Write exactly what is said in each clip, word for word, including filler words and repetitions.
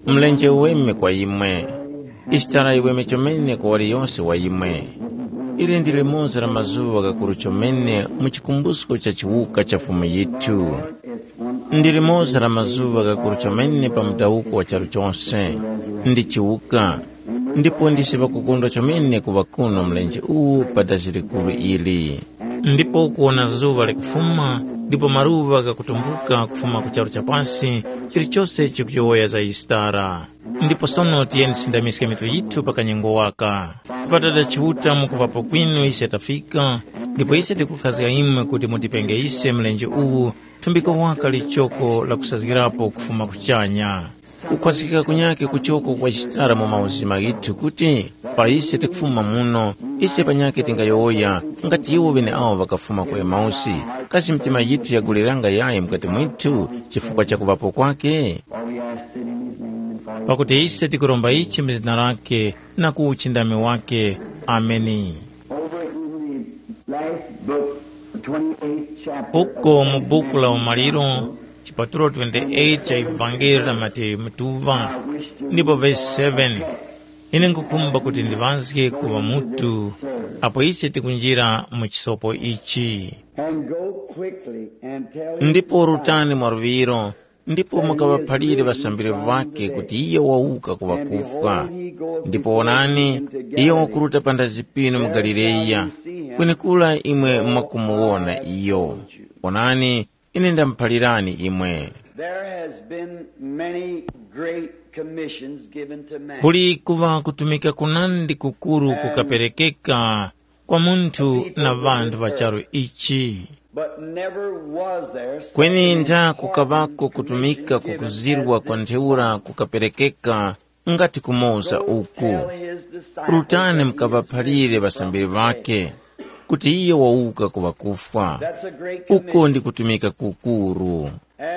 Mlenje uweme kwa imwe, Isitara yiweme chomene kwa waliyose wa imwe. Ili ndi limoza la mazuŵa ghakuru chomene mu chikumbusko cha chiwuka cha Fumu yithu. Ndi limoza la mazuŵa ghakuru chomene pa mudawuko wa charu chose. Ndi chiwuka, ndipo ndisi ŵakukondwa chomene kuŵa kuno mlenje uwu pa dazi likuru ili. Ndipo kuwona zuŵa likufuma, ndipo maluŵa ghakutumbuka kufuma ku charu cha pasi, chilichose chikuyowoya za Yisitara. Ndipo sono tiyeni tisindamiske mitu yithu pa kanyengo waka. Ŵadada Chiuta, mukuŵapo kwinu ise tafika, ndipo ise tikukhazga imwe kuti mutipenge ise mlenje uwu thumbiko waka lichoko lakusazgirapo kufuma kuchanya. Kukhwazgika kunyakhe kuchoko kwachitara mu mauzima ghithu kuti, pa ise tikufuma muno, ise panyakhe tingayowoya nga ti iwo ŵeneawo ŵakafuma ku Emausi, kasi mitima yithu yaguleranga yayi mukati mwithu chifukwa cha kuŵapo kwakhe? Pakuti ise tikuromba ichi mu zina lakhe na ku uchindami wakhe. Ameni. Over in the last book, the twenty-eighth chapter. Uko mu buku la Umaliro, chipatulo twenty-eight cha Evangeli la Mateyu mutuŵa, ndipo vesi seven. Ine nkukhumba kuti ndiŵazge ku ŵamutu apo ise tikunjira mu chisopo ichi. And go quickly and tell him, ndipo rutani mwaluŵiro, ndipo mukaŵaphalire ŵasambiri ŵakhe kuti iyo wawuka ku ŵakufwa. Ndipo wonani, iyo wakuruta panthazi pinu mu Galileya, kwenekura imwe mwakumuwona iyo. Wonani, ine ndamuphalirani imwe. There has been many great commissions given to man. Kuli kuŵa kutumika kunandi kukuru kukaperekeka kwa munthu na ŵanthu ŵa charu ichi. But never was there such kweni an ntha important kukaŵako kutumika commission given kukuzirwa as kwa this ntheura one. Kukaperekeka ngati kumoza uku. Tell his disciples rutani that he is mukaŵaphalire risen ŵasambiri from the dead. Ŵake kuti iye wawuka ku ŵakufwa. That's a great uko commission. Ndi kutumika kukuru.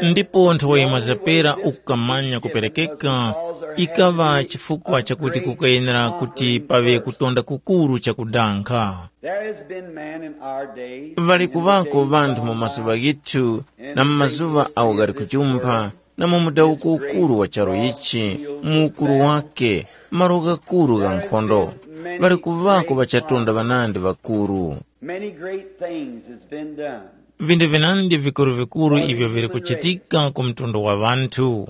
Ndipo nthowa imwe zapera ukukamanya kuperekeka ikaŵa chifukwa chakuti kukayenera kuti paŵe kutonda kukuru chakudankha. There has been man in our day, ŵali kuŵako ŵanthu mu mazuŵa ghithu na mu mazuŵa awo ghali kuchumba na mu mudawuko ukuru wa charu ichi, mu ukuru wake, malo ghakuru gha nkhondo, ŵali kuŵako ŵachatonda ŵanandi ŵakuru. Many great things has been done. Vindu vinandi vikuru-vikuru ivyo vili kuchitika ku mtundu wa ŵanthu.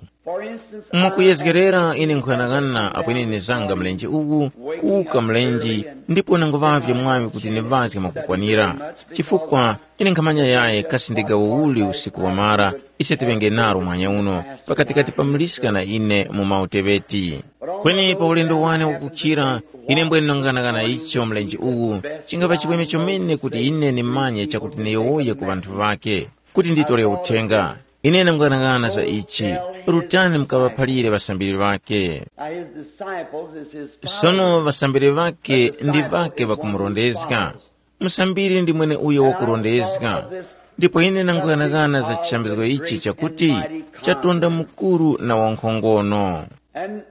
Mwakuyezgerera, ine nkhughanaghana apo ine nizanga mlenje uwu, kuwuka mlenje, ndipo nanguŵavye mwaŵi kuti niŵazge mwakukwanira. Chifukwa ine nkhamanya yaye kasi ndi gawo uli usiku wamara ise tiŵenge naro muhanya uno, pakatikati pa muliska na ine mu mauteŵeti. Kweni pa ulendo wane wakukhira, ine mbwene nang'anang'ana icho mlenje uwu, chingapa chimwemwe chomene kuti ine ndimanye chakuti ndiyowoye ku ŵanthu ŵake, kuti nditore uthenga. Ine ndang'anang'ana za ichi, rutani mukaŵaphalire ŵasambiri ŵake. Now his disciples is his sono followers. Ŵasambiri ŵake ndi ŵake ŵakumurondezga. Musambiri ndi mwene uyo wakurondezga. Ndipo ine nang'anang'ana za chisambizgo ichi chakuti, chatonda mukuru na wankhongono. And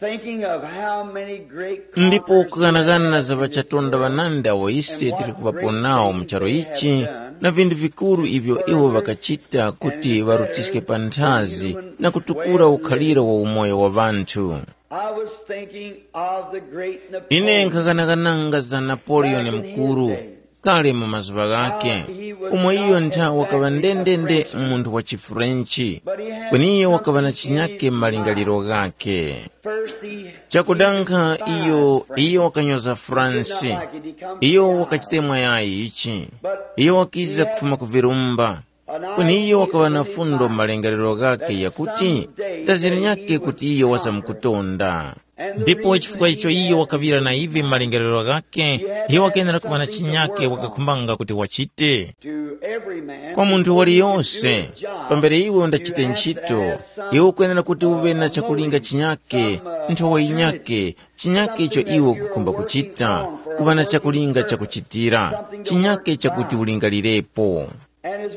thinking of how many great ndipo kughanaghana za ŵachatonda ŵanandi awo ise tili kuŵapo nawo mu charu ichi, na vinthu vikuru ivyo iwo ŵakachita kuti ŵarutiske panthazi na kutukura ukhaliro wa umoyo wa ŵanthu. I was thinking of the great ine Napoleon. Nkhaganagananga za Napoleon mukuru, kale mu mazuŵa ghake, umo iyo ntha wakaŵa ndendende munthu wa chiFrenchi, kweni iyo wakaŵa na chinyake m'malingaliro ghake. Chakudankha iyo, iyo wakanyoza France. Iyo wakachite mwayayi ichi. Iyo wakiza kufuma ku virumba. Kweni iyo wakaŵa na fundo m'malingaliro ghake yakuti, ndazira nyake kuti iyo wazamkutonda. Ndipo chifukwa icho iyo wakaŵira na ivi m'malingaliro ghake, iyo wakenera kuŵa na chinyake wakakhumbanga kuti wachite. Kwa munthu waliyonse, pambere iwe undachite ntchito, iwe ukwenera kuti uŵe na chakulinga chinyake, nthowa yinyake, chinyake icho iwe ukukhumba kuchita, kuŵa na chakulinga chakuchitira, chinyake chakuti ulingalirepo.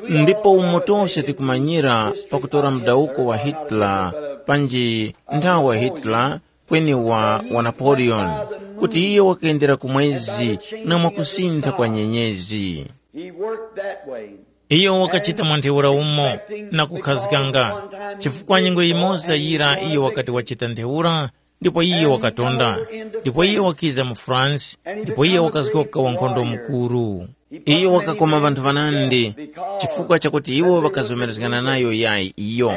Ndipo umo tose tikumanyira pakutora mudawuko wa Hitler, panji nthawa Hitler, kweni wa, wa Napoleon, kuti iyo wakayendera ku mwezi na mwakusintha kwa nyenyezi. He worked that way. Iyo wakachita mwa ntheura umo na kukhazganga, chifukwa nyengo yimoza yira iyo wakati wachita ntheura, ndipo iyo wakatonda, ndipo iyo wakiza mu France, ndipo iyo wakazgoka wankhondo mukuru. Iyo wakakoma ŵanthu ŵanandi, chifukwa chakuti iwo ŵakazomerezgana nayo yayi iyo.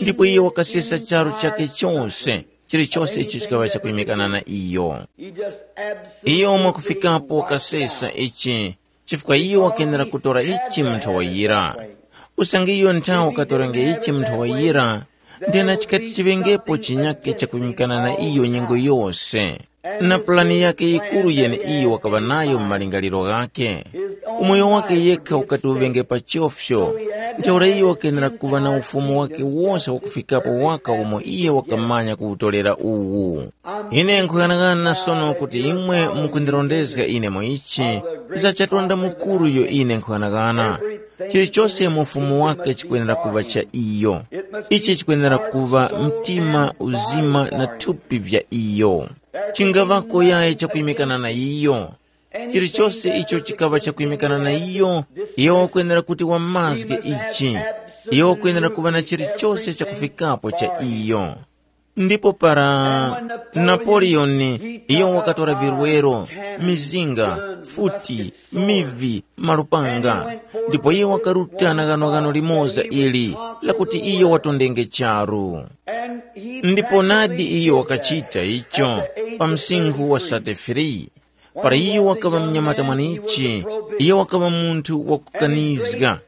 Ndipo iyo wakasesa charu chake chose, chilichose icho chikaŵa chakuyimikana na iyo. Iyo mwakufikapo wakasesa ichi, chifukwa iyo wakenera kutora ichi mu nthowa yira. Usange iyo nthawe wakatorenge ichi mu nthowa yira, ndena chikati chiŵengepo chinyake chakuyimikana na iyo nyengo yose. Na pulani yake yikuru yeneiyo wakaŵa nayo mu malingaliro ghakhe. Umoyo wake yekha ukati uŵenge pa chofyo, ntheura iyo wakenera kuŵa na ufumu wake wose wakufikapo waka umo iye wakamanya kuwutolera uwu. Ine nkhughanaghana sono kuti imwe mukundirondezga ine mu ichi, za chatonda mukuru iyo ine nkhughanaghana. Chilichose mu ufumu wake chikwenera kuŵa cha iyo. Ichi chikwenera kuŵa mtima, uzima na thupi vya iyo. Chingaŵako yayi chakuyimikana na iyo. Chilichose icho chikaŵa chakuyimikana na iyo, iyo wakwenera kuti wamazge ichi. Iyo wakwenera kuŵa na chilichose chakufikapo cha iyo. Ndipo para Napoleon, iyo wakatora virwero, mizinga, futi, mivi, malupanga, ndipo iyo wakaruta na ghanoghano limoza ili, lakuti iyo watondenge charu. Ndipo nadi iyo wakachita icho pa msinkhu wa sate free. Para iyo wakaŵa mnyamata mwanichi, iyo wakaŵa munthu wakukanizga,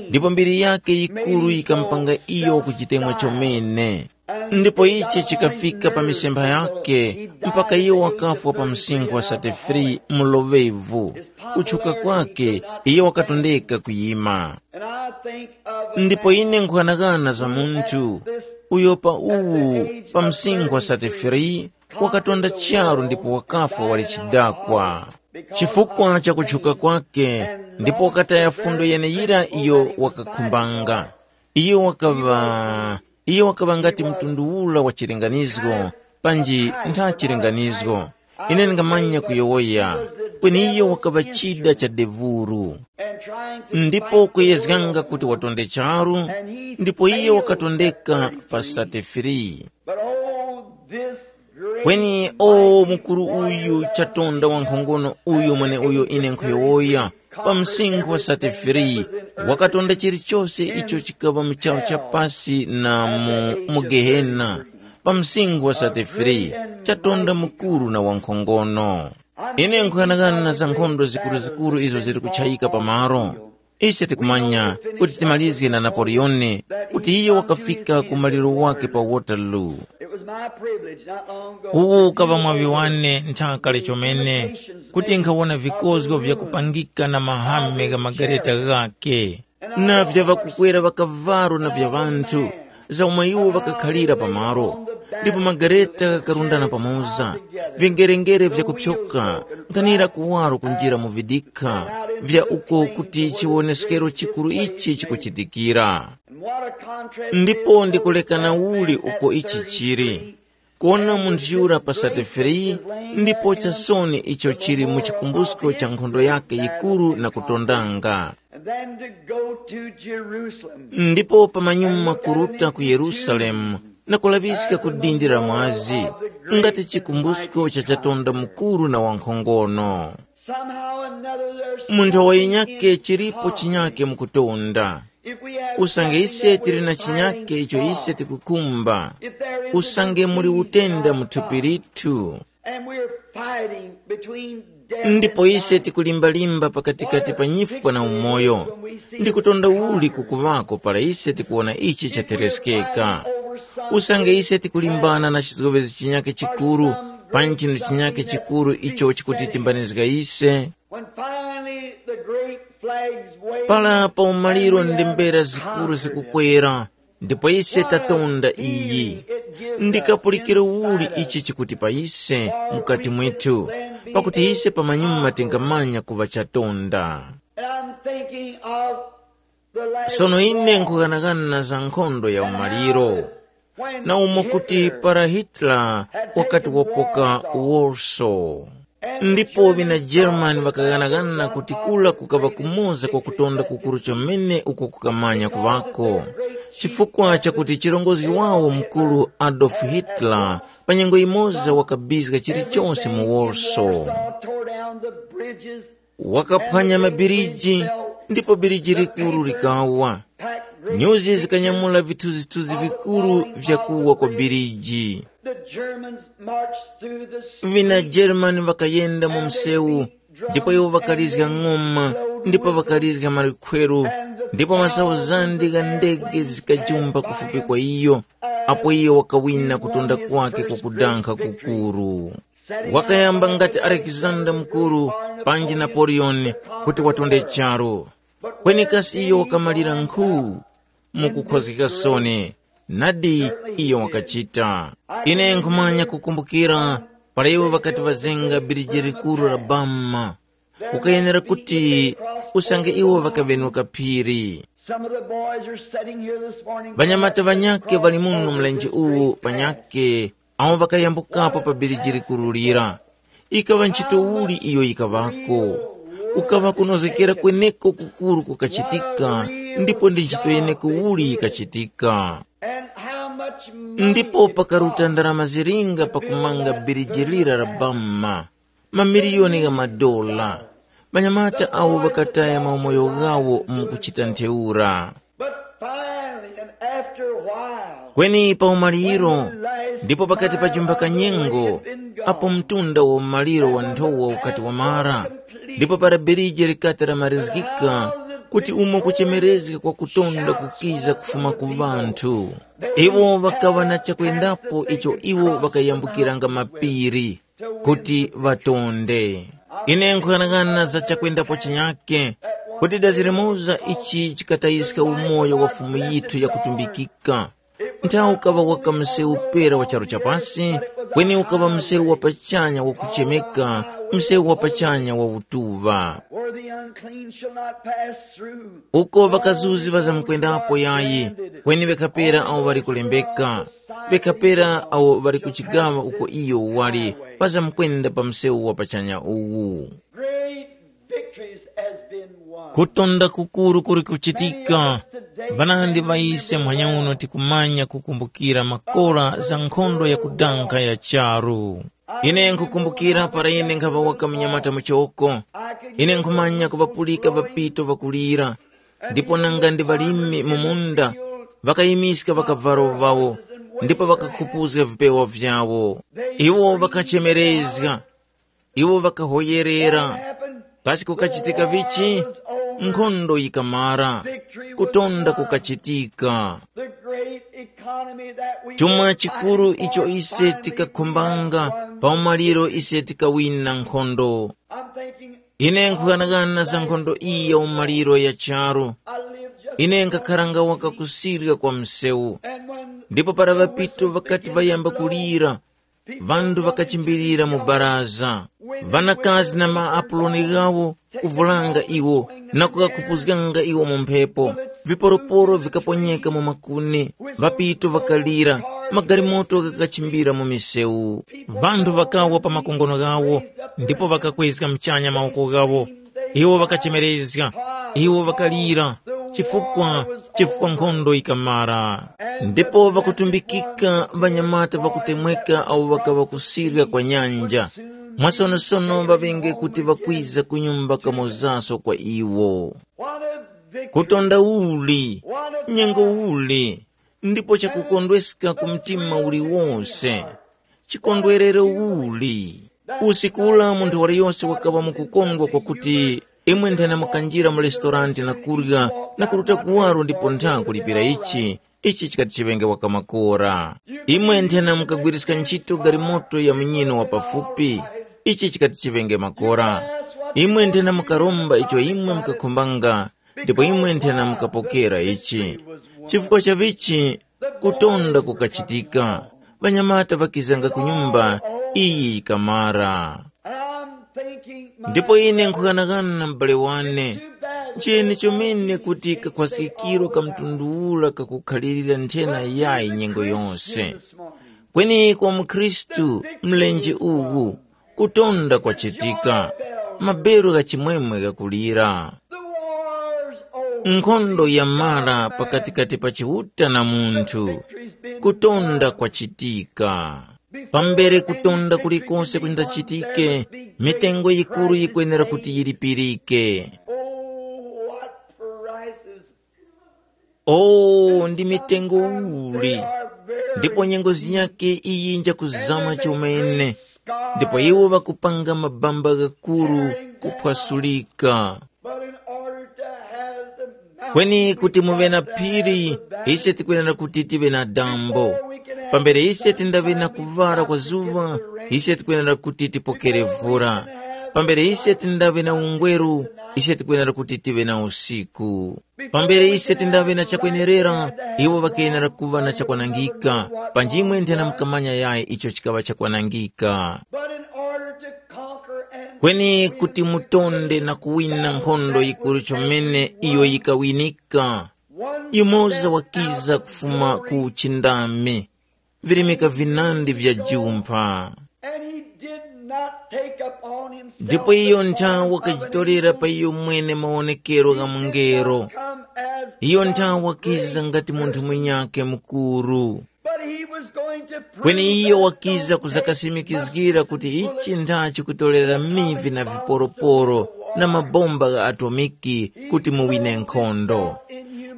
ndipo mbiri yake yikuru yikamupanga iyo kuchitemwa chomene. Ndipo ichi chikafika pa misempha yake, mpaka iyo wakafwa pa msinkhu wa sate free mu loŵevu. Kutchuka kwake, iyo wakatondeka kuyima. Ndipo ine nkhughanaghana za munthu uyo pa uwu, pa msinkhu wa sate free, wakatonda charu ndipo wakafwa wali chidakwa. Chifukwa cha kutchuka kwake, ndipo wakataya fundo yeneyira iyo wakakhumbanga. Iyo wakaŵa, iyo wakaŵa ngati mtundu ula wa chilinganizgo, panji ntha chilinganizgo. Ine ndingamanya kuyowoya, kweni iyo wakaŵa chida cha devuru. Ndipo kuyezganga kuti watonde charu, ndipo iyo wakatondeka pa sate free. But oh, this great Kweni o mukuru uyu chatonda wankhongono uyu mweneuyo ine nkhuyowoya, pa msinkhu wa sate free, wakatonda chilichose icho chikaŵa mu charu cha pasi na mu, mu Gehena, pa msinkhu wa sate free, chatonda mukuru na wankhongono. Ine nkhughanaghana za nkhondo zikuruzikuru izo zili kuchayika pamalo. Ise tikumanya kuti timalizge na Napoleone, kuti iyo wakafika ku maliro wake pa Waterloo. It was my privilege not long ago. Uwu ukaŵa mwaŵi wane nthaka kale chomene, kuti nkhawona vikozgo vyakupangika na mahame gha magareta ghakhe, na vya ŵakukwera ŵakavalo na vya ŵanthu, za umo iwo ŵakakhalira pamalo, ndipo magareta ghakarundana pamoza, vingerengere vyakupyoka, nkhanira kuwaro kunjira mu vidikha vya uko kuti chiwoneskero chikuru ichi chikuchitikira. Ndipo ndikulekana uli uko ichi chili, kuwona munthu yura pa sate free, ndipo chasoni icho chili mu chikumbusko cha nkhondo yake yikuru na kutondanga. And then to go to Jerusalem. Ndipo pamanyuma kuruta ku Yerusalemu na kulaŵiska ku dindi la mwazi, ngati chikumbusko cha chatonda mukuru na wankhongono. Somehow or another, there's mu nthawi yinyake chilipo chinyake mukutonda. If we have usange ise tili na chinyake icho ise tikukhumba, usange muli utenda mu thupi lithu, and we're fighting between death ndipo and ise life, tikulimbalimba pakatikati pa nyifwa na umoyo, ndikutonda uli kukuŵako para ise tikuwona ichi chatereskeka? Usange ise tikulimbana na chizgowezi chinyake chikuru, panji chinthu chinyake chikuru icho chikutitimbanizga ise, when finally the great flags wave, para pa umaliro ndembera zikuru zikukwera, ndipo ise tatonda iyi. Ndikapulikiro uli ichi chikuti pa ise mukati mwithu, pakuti ise pamanyuma tingamanya kuŵa chatonda. And I'm thinking of the last sono ine nkughanagana za nkhondo ya umaliro, na umo kuti para Hitler wakati wapoka Warsaw. Ndipo ŵina German ŵakaghanaghana kuti kula kukaŵa kumoza kwa kutonda kukuru chomene uko kukamanya kuŵako, chifukwa chakuti chirongozgi wawo mukuru Adolf Hitler pa nyengo yimoza wakabizga chilichonse mu Warsaw. Tore down the bridges. Wakaphwanya mabiriji, ndipo biriji likuru likawa. Nyuzi zikanyamula vithuzithuzi vikuru vya kuwa kwa biriji. The Germans marched through the streets. Vina German vakayenda mu msewu, ndipo iwo vakalizga ng'oma, ndipo vakalizga malikhweru, ndipo masauzandi gha ndege zikajumba kufupi kwa iyo, apo iyo wakawina kutonda kwake kwa kudankha kukuru. Wakayamba ngati Alexander Mukuru panji Napoleon kuti watonde charu. Kweni kasi iyo wakamalira nkhu? Mukukhozgeka soni, nadi iyo wakachita. Ine nkhumanya kukumbukira para iwo ŵakati ŵazenga biriji likuru la Bama, kukayenera kuti usange iwo ŵakaŵenuka phiri. Some of the boys are sitting here this morning. Ŵanyamata ŵanyakhe ŵali muno mlenje uwu panyakhe, awo ŵakayambukapo pa biriji likuru lira. Ikaŵa ntchito uli iyo yikaŵako? Kukaŵa kunozgekera kweneko kukuru kukachitika, ndipo ndi ntchito yeneko uli yikachitika. And how much money ndipo pakaruta ndarama zilinga pakumanga biriji lira la Bama, mamiliyoni gha madola. Ŵanyamata awo ŵakataya maumoyo ghawo mu kuchita ntheura. But finally, and after a while, kweni pa umaliro, ndipo pakati pa chumba ka nyengo, apo mtunda wa umaliro wa nthowa ukati wamara, ndipo para biriji likati lamarizgika, kuti umo kuchemerezga kwa kutonda kukiza kufuma ku ŵanthu. Iwo ŵakaŵa na chakwendapo icho iwo ŵakayambukiranga mapiri kuti ŵatonde. Ine nkhughanaghana za chakwendapo chinyake, kuti dazi limoza ichi chikatayiska umoyo wa Fumu yithu yakutumbikika. Nthawi ukaŵa waka msewu pera wa charu cha pasi, kweni ukaŵa msewu wa pachanya wakuchemeka, msewu wa pachanya wa utuŵa. Where the unclean shall not pass through. Uko ŵakazuzi ŵazamkwendapo yayi, kweni ŵekhapera awo ŵali kulembeka, ŵekhapera awo ŵali kuchigaŵa uko iyo wali, ŵazamkwenda pa msewu wa pachanya uwu. Great victories has been won. Kutonda kukuru kuli kuchitika. Ŵanandi ŵa ise muhanya uno tikumanya kukumbukira makora za nkhondo ya kudankha ya charu. Ine nkhukumbukira para ine nkhaŵa waka munyamata muchoko. Ine nkhumanya kuŵapulika ŵapito ŵakulira, ndipo nanga ndi ŵalimi mu munda, ŵakayimiska ŵakavalo ŵawo, ndipo ŵakakhupuzga vipewa vyawo. Iwo ŵakachemerezga, iwo ŵakahoyerera. Kasi kukachitika vichi? Nkhondo yikamara, kutonda kukachitika. The great economy that we chuma chikuru icho ise tikakhumbanga, pa umaliro ise tikawina nkhondo. I'm thinking, ine nkhughanaghana za nkhondo iyi ya umaliro ya charu. I live just ine nkakharanga waka kusirya kwa msewu. And when ndipo para ŵapito ŵakati ŵayamba kulira, ŵanthu ŵakachimbirira mu baraza. Ŵanakazi na maapuloni ghawo kuvulanga iwo na kukakhupuzganga iwo mu mphepo. Viporoporo vikaponyeka mu makuni, ŵapito ŵakalira, magalimoto ghakachimbira mu misewu. Ŵanthu ŵakawa pa makongono ghawo, ndipo ŵakakwezga muchanya mawoko ghawo. Iwo ŵakachemerezga, iwo ŵakalira, chifukwa chifukwa nkhondo yikamara. Ndipo ŵakutumbikika ŵanyamata ŵakutemweka awo ŵakaŵa kusirya kwa nyanja, mwasonosono ŵaŵenge kuti ŵakwiza ku nyumba kamozaso kwa iwo. Kutonda uli, nyengo uli, ndipo chakukondweska ku mtima uliwose. Chikondwerero uli. Usiku ula munthu waliyose wakaŵa mukukondwa kwakuti imwe nthena mukanjira mu lestorante na kurya na kuruta kuwaro ndipo ntha kulipira ichi, ichi chikati chiŵenge waka makora. Imwe nthena mukagwiriska ntchito galimoto ya munyino wa pafupi, ichi chikati chiŵenge makora. Imwe nthena mukaromba icho imwe mukakhumbanga, ndipo imwe nthena mukapokera ichi. Chifukwa cha vichi, kutonda kukachitika. Ŵanyamata ŵakizanga ku nyumba, iyi yikamara. Ndipo ine nkhughanaghana na m'bale wane, nchiyeni chomene kuti kakhwaskikiro ka mtundu ura kakukhalirira nthena yayi nyengo yose. Kweni kwa mukhristu, mlenje uwu, Kutonda kwachitika, maberu gha chimwemwe ghakulira. The war's over. Nkhondo yamara pakatikati pa Chiuta na munthu. Kutonda kwachitika. Pambere kutonda kulikose kundachitike, mitengo yikuru yikwenera kuti yilipirike. Oh, what prices. Oh, ndi mitengo uli! Ndipo nyengo zinyakhe iyi njakuzama chomene. Ndipo iwo ŵakupanga mabamba ghakuru kuphwasulika. But in order to have the mountain, kweni kuti muŵe na phiri, ise tikwenera kuti tiŵe na dambo. Pambere ise tindaŵe na kuŵala kwa zuŵa, ise tikwenera kuti tipokere vura. Pambere ise tindaŵe na ungweru, ise tikwenera kuti tiŵe na usiku. Pambere ise tindaŵe na chakwenerera, iwo ŵakenera kuŵa na chakwanangika. Panjimwe nthena mukamanya yayi icho chikaŵa chakwanangika. But in order to conquer and kweni kuti mutonde na kuwina nkhondo yikuru chomene iyo yikawinika, yumoza wakiza kufuma ku uchindami, virimika vinandi vya jumpha. And he did not take upon himself. Ndipo iyo nthawe wakajitorera pa iyo mwene mawonekero gha mungelo. Come as iyo nthawe wakiza ngati munthu munyakhe mukuru. But he was going to prove kweni iyo wakiza kuzakasimikizgira kuti ichi nthachi kutorera mivi na viporoporo na mabomba gha atomiki kuti muwine nkhondo.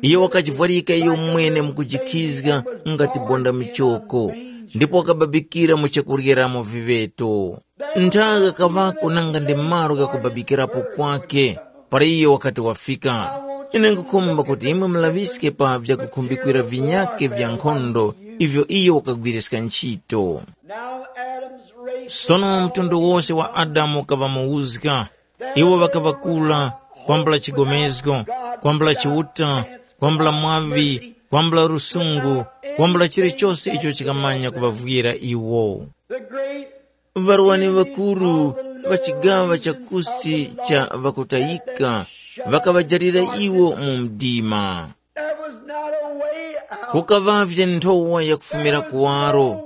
Iyo wakajivwarika iyo mwene mukujikhizga ngati bonda michoko, ndipo wakababikira mu chakuryeramo viŵeto. Nthawi gakaŵako nanga ndi malo ghakubabikirapo kwake. Para iyo wakati wafika, ine nkhukhumba kuti imwe mulaŵiske pa vyakukhumbikira vinyakhe vya nkhondo ivyo iyo wakagwiriska ntchito. Now Adam's race. Sono mtundu wose wa Adamu ukaŵa muwuzga. Iwo ŵakaŵa kula, kwambula chigomezgo, kwambula chiuta, kwambula mwaŵi, kwambula lusungu, kwambula chilichose icho chikamanya kuŵavwira iwo. The great Ŵarwani ŵakuru ŵa chigaŵa cha kusi cha ŵakutayika ŵakaŵajalira iwo mu mdima. There was not a way out. Kukaŵavye nthowa yakufumira kuwaro,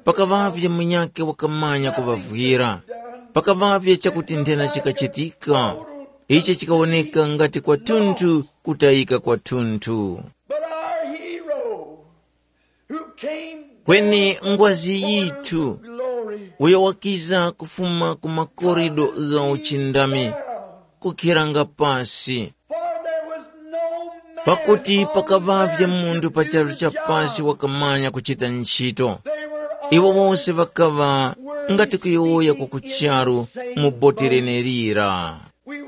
pakaŵavye munyakhe wakamanya kuŵavwira, pakaŵavye chakuti nthena chikachitika, ichi chikawoneka ngati kwathunthu kutayika kwathunthu. But our hero, who came kweni ngwazi yithu, glory, uyo wakiza kufuma ku makorido gha uchindami, kukhiranga pasi. For there was no man pakuti on pakavavye earth munthu pa charu cha pasi wakamanya kuchita ntchito. They were all iwo wose ŵakaŵa ngati kuyowoya kwa kucharu mu boti lenelira.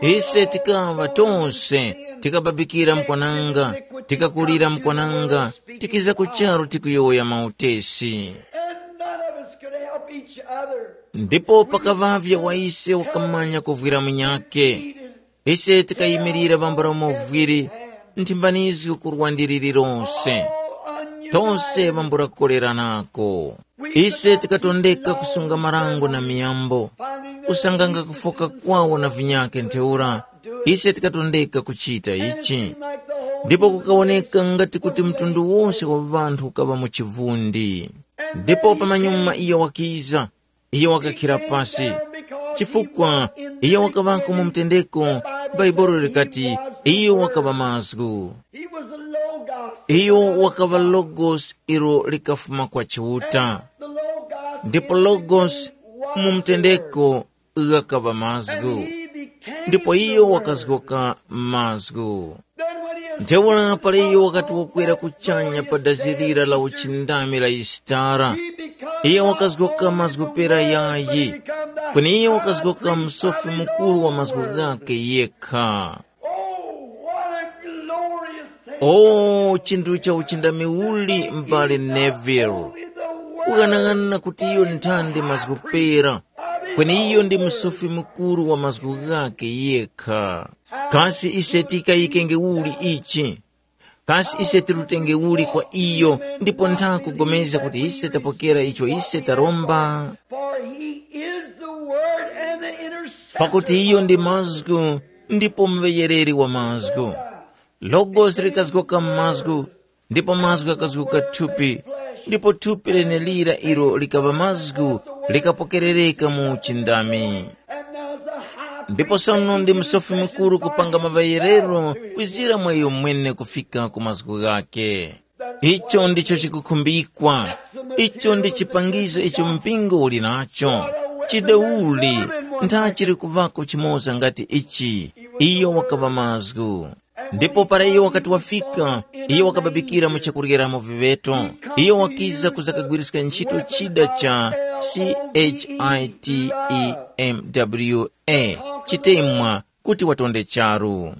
Ise tikaŵa tonse, tikababikira mkwananga, tikakulira mkwananga, tikiza ku charu tikuyowoya mautesi. And none of us could help each other. Ndipo pakaŵavye wa ise wakamanya kuvwira munyakhe. Ise tikayimirira vambula umo vwiri nthimbanizgo ku lwandiri lilonse. Tonse vambula kukoleranako. Ise tikatondeka kusunga marango na miyambo, kusanganga kufoka kwawo na vinyakhe ntheura, ise tikatondeka kuchita ichi. Ndipo kukawoneka ngati kuti mtundu wose wa ŵanthu ukaŵa mu chivundi. Ndipo pamanyuma iyo wakiza, iyo wakakhira pasi. Chifukwa iyo wakaŵako mu mtendeko, Bhaibuli likati, iyo wakaŵa mazgu. He was the Logos. Iyo wakaŵa Logos ilo likafuma kwa Chiuta. The Logos ndipo Logos mu mtendeko ghakaŵa mazgu. Ndipo iyo wakazgoka mazgu. Then when he ascended ntheura pala iyo wakati wakwera kuchanya pa dazi lira la uchindami la Yisitara, he became iyo wakazgoka mazgu pera yayi, kweni iyo wakazgoka msofi mukuru wa mazgu ghakhe yekha. Oh, what a glorious thing. O chinthu cha uchindami uli, m'bale Neville. Only the word kughanaghanana kuti iyo nthandi mazgu pera, kweni iyo ndi msofi mukuru wa mazgu ghakhe yekha. Kasi ise tikayikenge uli ichi? Kasi ise tirutenge uli kwa iyo, ndipo ntha kugomezga kuti ise tapokera icho ise taromba? For he is the word and the intercessor. Pakuti iyo ndi mazgu, ndipo muŵeyereri wa mazgu. Logosi likazgoka mazgu, ndipo mazgu ghakazgoka thupi, ndipo thupi lenelira ilo likaŵa mazgu, likapokerereka mu uchindami. And now is the high Ndipo sono ndi msofi mukuru kupanga maŵayerero kwizira mwa iyo mwene kufika ku mazgu ghake. Icho ndicho chikukhumbikwa. Icho ndi chipangizo icho mpingo uli nacho. Chidauli, nthachiri kuvako chimoza ngati ichi. Iyo wakaŵa mazgu. Ndipo para iyo wakati wafika, iyo wakababikira mu chakuryeramo viŵeto. Iyo wakiza kuzakagwiriska ntchito chida cha chitmwa, chitemwa, kuti watonde charu.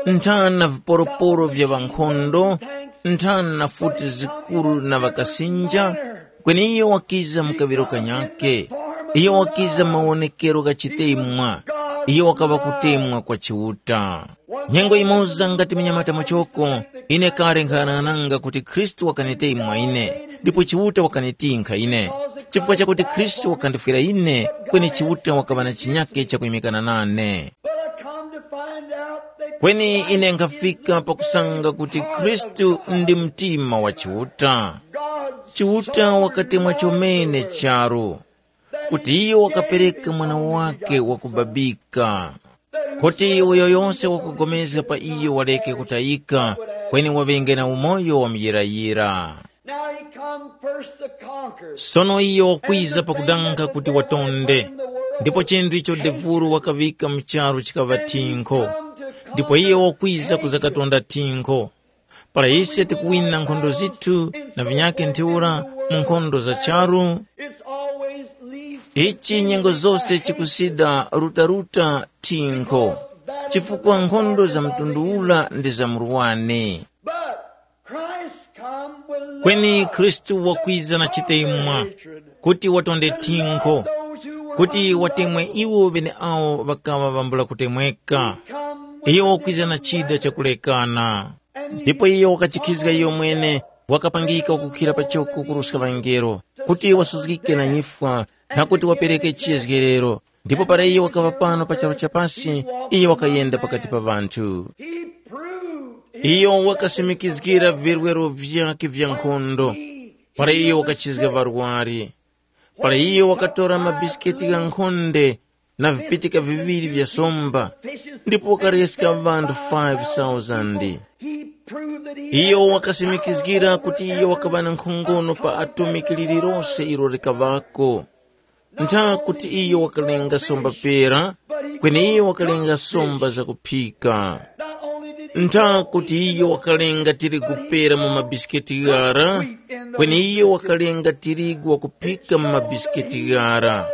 Nthana viporoporo vya ŵankhondo, nthana futi zikuru na ŵakasinja, kweni iyo wakiza mu kaŵiro kanyakhe. Iyo wakiza mawonekero gha chitemwa. Iyo wakaŵa kutemwa kwa Chiuta. Nyengo imoza ngati munyamata muchoko, ine kale nkhaghanaghana kuti Khristu wakanitemwa ine, ndipo Chiuta wakanitinkha ine. Chifukwa chakuti Khristu wakandifwira ine, kweni Chiuta wakaŵa na chinyakhe chakuyimikana nane. But I come to find out that Kweni ine nkhafika pakusanga kuti Khristu ndi mtima wa Chiuta. God Chiuta wakatemwa chomene charu, kuti iyo wakapereka mwana wake wakubabika, kuti uyo yonse wakugomezga pa iyo wareke kutayika, kweni waŵenge na umoyo wa muyirayira. Now he come first to conquer. Sono iyo wakwiza pakudanga kuti watonde, ndipo chinthu icho devuru wakaŵika mu charu chikaŵa thinkho, ndipo iyo wakwiza kuzakatonda thinkho. Para ise tikuwina nkhondo zithu na vinyakhe ntheura mu nkhondo za charu, It's always leads ichi nyengo zose chikusida rutaruta thinkho, chifukwa nkhondo za mtundu ula ndi za murwani. But Christ come with Kweni love Khristu wakwiza na chitemwa, kuti watonde thinkho, kuti watemwe iwo ŵeneawo ŵakaŵa ŵambula kutemweka. Iyo wakwiza na chida chakulekana. Ndipo iyo wakajikhizga iyo mwene, wakapangika kukhira pachoko kuruska ŵangelo, kuti wasuzgike na nyifwa, na kuti wapereke chiyezgerero. Ndipo para iyo wakaŵa pano pa charu cha pasi, iyo wakayenda pakati pa ŵanthu. He proved Iyo wakasimikizgira virwero vyakhe vya nkhondo, para iyo wakachizga ŵarwari, para iyo wakatora mabisiketi gha nkhonde na vipitika viŵiri vya somba, ndipo wakareska ŵanthu five thousand. He proved that he Iyo wakasimikizgira kuti iyo wakaŵa na nkhongono pa atomiki lililose ilo likaŵako. Ntha kuti iyo wakalenga somba pera, kweni iyo wakalenga somba zakuphika. Ntha kuti iyo wakalenga tirigu pera mu mabisiketi ghara, kweni iyo wakalenga tirigu wakuphika mu mabisiketi ghara.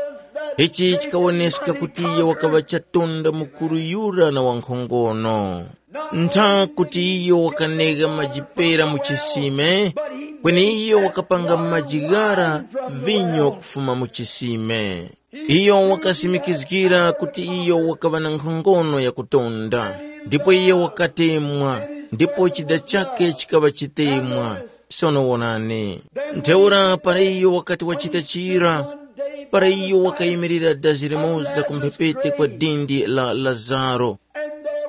Ichi chikawoneska kuti iyo wakaŵa chatonda mukuru yura na wankhongono. Ntha kuti iyo wakanegha maji pera mu chisime, kweni iyo wakapanga maji ghara vinyo kufuma mu chisime. Iyo wakasimikizgira kuti iyo wakaŵa na nkhongono yakutonda, ndipo iyo wakatemwa, ndipo chida chakhe chikaŵa chitemwa. Sono wonani, ntheura para iyo wakati wachita chira, para iyo wakayimirira dazi limoza ku mphepete kwa dindi la Lazaro,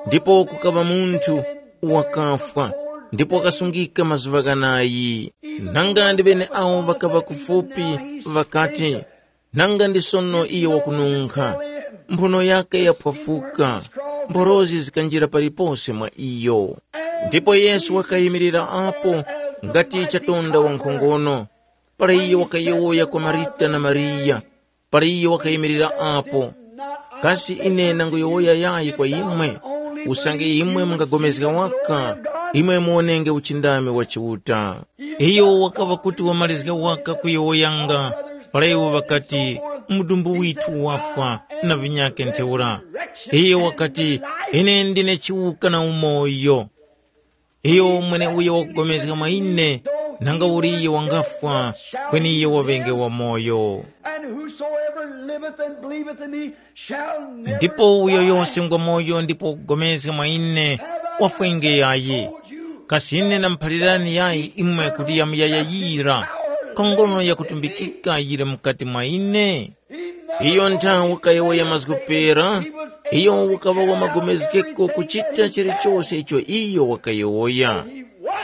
ndipo kukaŵa munthu wakafwa, ndipo wakasungika mazuŵa ghanayi. Nanga ndi ŵeneawo ŵakaŵa kufupi, ŵakati, nanga ndi sono iyo wakununkha, mphuno yake yaphwafuka, mphorozi zikanjira palipose mwa iyo. Ndipo Yesu wakayimirira apo ngati chatonda wankhongono, para iyo wakayowoya kwa Marita na Mariya, para iyo wakayimirira apo. Kasi ine nanguyowoya yayi kwa imwe, usange imwe mungapulikana waka, imwe muwonenge uchindami wa Chiuta. Iyo wakaŵa kuti wamalizga waka kuyowoyanga, para iwo ŵakati, mudumbu withu wafwa na vinyakhe ntheura. Iyo wakati, ine ndine chiwuka na umoyo. Iyo mweneuyo wakupulikana mwa ine, nanga uli iyo wangafwa, kweni iyo waŵenge wamoyo. And whosoever liveth and believeth in me shall never Ndipo uyo die. Yose ngwamoyo ndipo wakupulikana mwa ine, wafwenge yayi. Kasi ine namuphalirani yayi imwe kuti yamuyayayira, nkhongono yakutumbikika yili mukati mwa ine? Iyo nthawe wakayowoya mazgu pera, iyo wakaŵa wamagomezgeko kuchita chilichose icho iyo wakayowoya,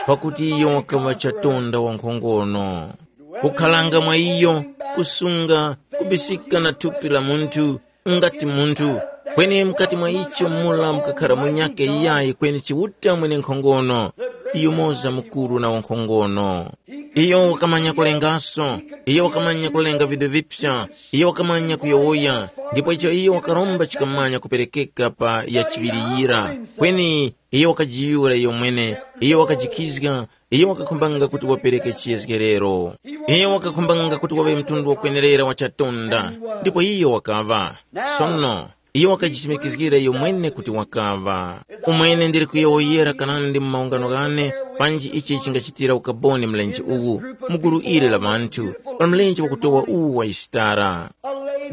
pakuti iyo wakaŵa chatonda wankhongono. Kukharanga mwa iyo, kusunga, kubisika na thupi la munthu, ngati munthu, kweni mukati mwa icho mula mukakhara munyakhe yayi kweni Chiuta mwenenkhongono, yumoza mukuru na wankhongono. Iyo wakamanya kulengaso, iyo wakamanya kulenga vinthu vipya, iyo wakamanya kuyowoya, ndipo icho iyo wakaromba chikamanya kuperekeka pa yachiŵiriyira. Kweni iyo wakajiyura iyo mwene, iyo wakajikizga, iyo wakakhumbanga kuti wapereke chiyezgerero. Iyo wakakhumbanga kuti waŵe mtundu wakwenerera wa chatonda, ndipo iyo wakaŵa. Sono, iyo wakajisimikizgira iyo mwene kuti wakaŵa. Umwene ndili kuyowoyera kanandi mu maungano ghane, panji ichi chingachitira ukaboni mlenje uwu, mu gulu ili la ŵanthu, pa mlenje wakutowa uwu wa Yisitara.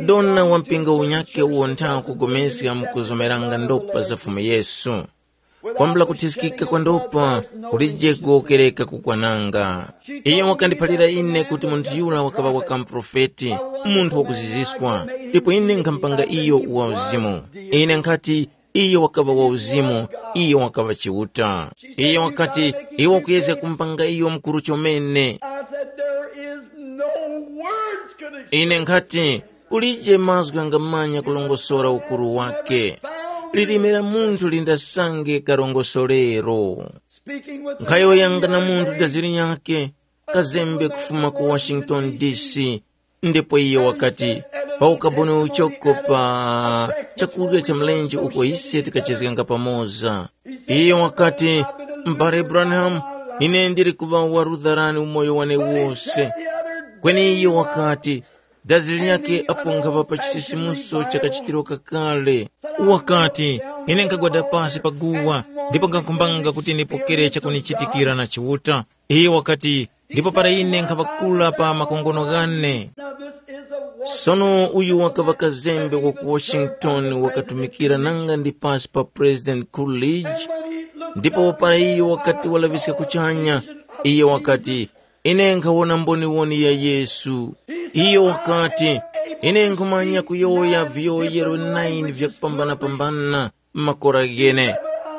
Dona wa mpingo unyakhe uwo ntha kupulikana ndopa za Fumu Yesu. Kwambula kuthiskika kwa ndopa, kulije kuwokereka kukwananga. Iyo wakandiphalira ine kuti munthu yura wakaŵa waka muprofeti, munthu wakuziziswa, ndipo ine nkhampanga iyo wa uzimu. Ine nkhati, iyo wakaŵa wa uzimu, iyo wakaŵa Chiuta. Iyo wakati, iwe ukuyezga kumpanga iyo mukuru chomene. I said, there is no words could express. Ine nkhati, kulije mazgu ghangamanya kulongosora ukuru wake. Lilime la munthu lindasange karongosorero. Speaking with nkhayoyanga na munthu daziri yake, kazembe kufuma ku Washington D C, ndipo iyo wakati, pa ukaboni uchoko pa chakurya cha mlenje uko ise tikachezganga pamoza. Iyo wakati, m'bale Branham, ine ndili kuŵa warudharani umoyo wane wose. Kweni iyo wakati, dazi linyakhe apo nkhaŵa pa chisisimuso cha kachitiro kakale. Wakati, ine nkhagwada pasi pa guwa, ndipo nkhankhumbanga kuti ndipokere chakunichitikira na Chiuta. Iyo wakati, ndipo para ine nkhaŵakula pa makongono ghane. Sono uyu wakaŵa kazembe wa ku Washington, wakatumikira nanga ndi pasi pa President Coolidge. Ndipo para iyo wakati walaŵiska kuchanya, iyo wakati, ine nkhawona mboniwoni ya Yesu. Iyo wakati, ine nkhumanya kuyowoya viyowoyero nine vyakupambanapambana, makora ghene.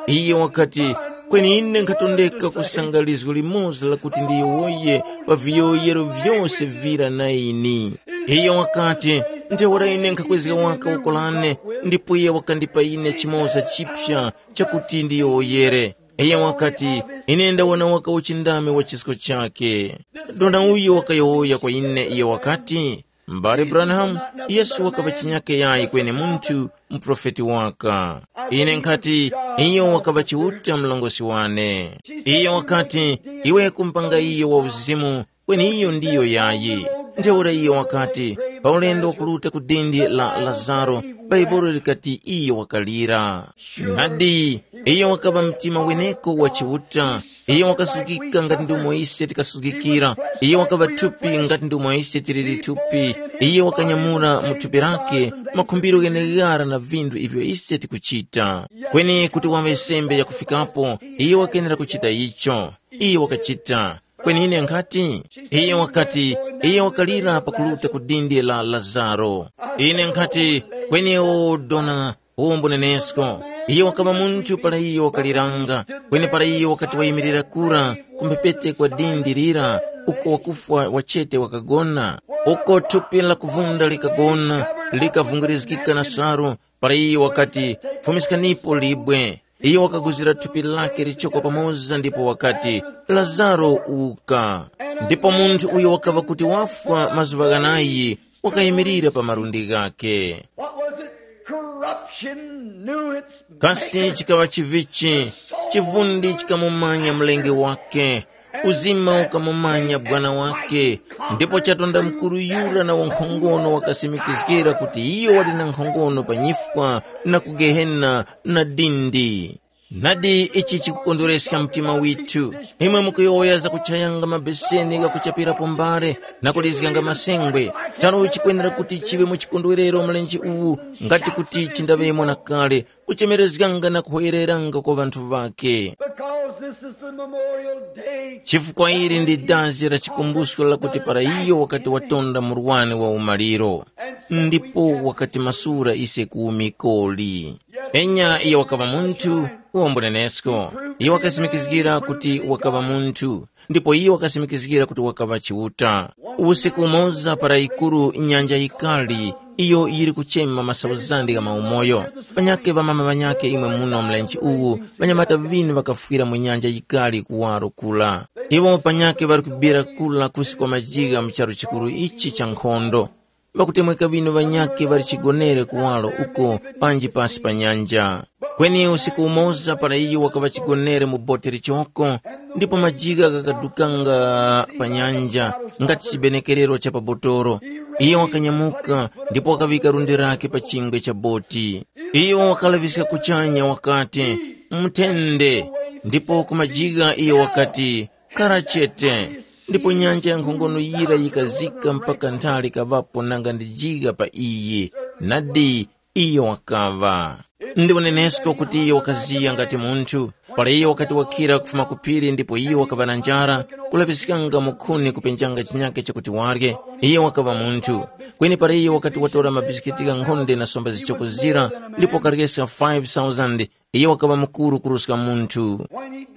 Iyo wakati, kweni ine nkhatondeka kusanga lizgu limoza lakuti ndiyowoye pa viyowoyero vyose vira nine. Iyo wakati, ntheura ine nkhakwezga waka woko lane, ndipo iye wakandipa ine chimoza chipya chakuti ndiyowoyere. Iyo wakati, ine ndawona waka uchindami wa chisko chake. Dona uyo wakayowoya kwa ine, iyo wakati, m'bale Branham, Yesu wakaŵa chinyake yayi kweni munthu, muprofeti waka. Ine nkhati, iyo wakaŵa Chiuta mlongosi wane. Iyo wakati, iwe kumpanga iyo wa uzimu, kweni iyo ndiyo yayi. Ntheura iyo wakati, pa ulendo wakuruta ku dindi la Lazaro, Bhaibuli likati iyo wakalira. Nadi, iyo wakaŵa mtima weneko wa Chiuta. Iyo wakasukika ngati ndomwe ise tikasukikira. Iyo wakaŵa thupi ngati ndomwe ise tiliri thupi. Iyo wakanyamula mu thupi lake makhumbiro gheneghara na vinthu ivyo ise tikuchita. Kweni kuti waŵe sembe yakufikapo, iyo wakenera kuchita icho. Iyo wakachita. Kweni ine nkhati, iyo wakati, iyo wakalira pakuruta ku dindi la Lazaro. Ine nkhati, kweni o dona, uwo mbunenesko. Iyo wakaŵa munthu para iyo wakaliranga, kweni para iyo wakati wayimirira kura ku mphepete kwa dindi lira, uko wakufwa wachete wakagona, uko thupi la kuvunda likagona, likavungirizgika na salu, para iyo wakati, fumiskanipo libwe. Iyo wakaguzira thupi lake lichoko pamoza ndipo wakati, Lazaro, uka. Ndipo munthu uyo wakaŵa kuti wafwa mazuŵa ghanayi, wakayimirira pa malundi ghakhe. What was it? Corruption knew its kasi maker. Chikaŵa chivichi? Chivundi chikamumanya mlengi wake, uzima ukamumanya bwana wake. Ndipo chatonda mukuru yura na wankhongono wakasimikizgira kuti iyo wali na nkhongono pa nyifwa na ku gehena na dindi. Nadi ichi chikukondwereska mtima withu. Imwe mukuyowoya za kuchayanga mabeseni ghakuchapirapo mbale na kulizganga masengwe. Charu chikwenera kuti chiŵe mu chikondwerero mlenje uwu, ngati kuti chindaŵemo na kale, kuchemerezganga na kuhoyereranga kwa ŵanthu ŵake. Because this is the memorial day. Chifukwa ili ndi dazi la chikumbusko lakuti para iyo wakati watonda murwani wa umaliro, ndipo wakatimasula ise ku umikoli. Enya iyo wakaŵa munthu, uwombonenesko. Iyo wakasimikizgira kuti wakaŵa munthu. ndipo iyo wakasimikizgira kuti wakaŵa Chiuta. Usiku umoza para yikuru nyanja yikali, iyo yili kuchema masauzande gha maumoyo, panyakhe ŵamama ŵanyakhe imwe muno mlenje uwu, ŵanyamata ŵinu ŵakafwira mu nyanja yikali kuwaro kula. Iwo panyakhe ŵali kubira kula kusi kwa majigha mu charu chikuru ichi cha nkhondo. Ŵakutemweka ŵinu ŵanyakhe ŵali chigonere kuwaro uko panji pasi pa nyanja. Kweni usiku umoza para iyo wakaŵa chigonere mu boti lichoko, ndipo majigha ghakadukanga pa nyanja ngati chibenekerero cha pa botoro, iyo wakanyamuka ndipo wakaŵika lundi lake pa chingwe cha boti. Iyo wakalaŵiska kuchanya wakati, “Muthende!” Ndipo ku majigha iyo wakati, “Kara chete!” Ndipo nyanja ya nkhongono yira yikazika mpaka nthali kaŵapo nanga ndi jigha pa iyi. Nadi, iyo wakaŵa. Ndi unenesko kuti iyo wakaziya ngati munthu. Para iyo wakati wakhira kufuma ku phiri ndipo iyo wakaŵa na njara, kulaŵiskanga mukhuni kupenjanga chinyake chakuti warye, iyo wakaŵa munthu. Kweni para iyo wakati watora mabisikiti ghankhonde na somba zichoko zira, ndipo wakaryesa five thousand, iyo wakaŵa mukuru kuruska munthu.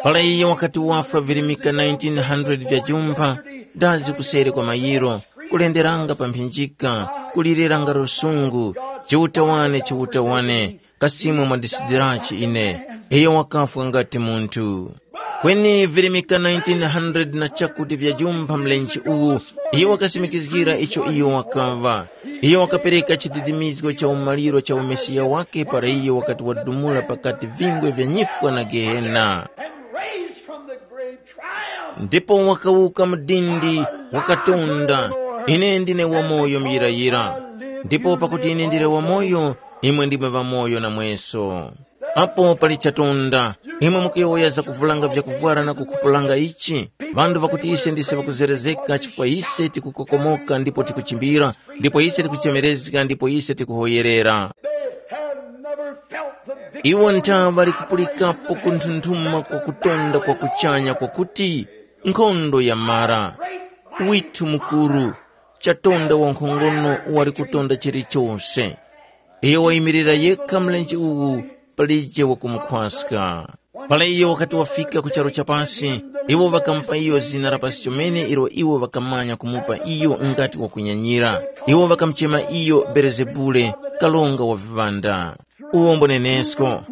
Para iyo wakati wafwa virimika nineteen hundred vya jumpha, dazi kuseri kwa mayiro, kulenderanga pa mphinjika, kulireranga lusungu, “Chiuta wane, Chiuta wane, kasimwe mwandisidirachi ine.” Iyo wakafwa ngati munthu. Kweni virimika nineteen hundred na chakuti vya jumpha mlenje uwu, iyo wakasimikizgira icho iyo wakaŵa. Iyo wakapereka chididimizgo cha umaliro cha umesiya wake para iyo wakati wadumula pakati vingwe vya nyifwa na Gehena. And raised from the grave triumph. Ndipo wakawuka mu dindi, wakatonda, “Ine ndine wamoyo muyirayira. Ndipo pakuti ine ndili wamoyo, imwe ndimwe ŵamoyo namweso.” Apo pali chatonda, imwe mukuyowoya zakuvulanga vyakuvwara na kukhupulanga ichi, ŵanthu ŵakuti ise ndise ŵakuzerezeka chifukwa ise tikukokomoka ndipo tikuchimbira, ndipo ise tikuchemerezga ndipo ise tikuhoyerera. They have never felt the victory. Iwo nthaŵa likupulikako kunthunthuma kwa kutonda kwa kuchanya kwakuti, nkhondo yamara. Withu mukuru, chatonda wankhongono wali kutonda chilichose. Iyo wayimirira yekha mlenje uwu, palije wakumukhwaska. Para iyo wakati wafika ku charu cha pasi, iwo ŵakamupa iyo zina la pasi chomene ilo iwo ŵakamanya kumupa iyo ngati wakunyanyira. Iwo ŵakamuchema iyo Belezebule, karonga wa viŵanda. Uwo mbonenesko.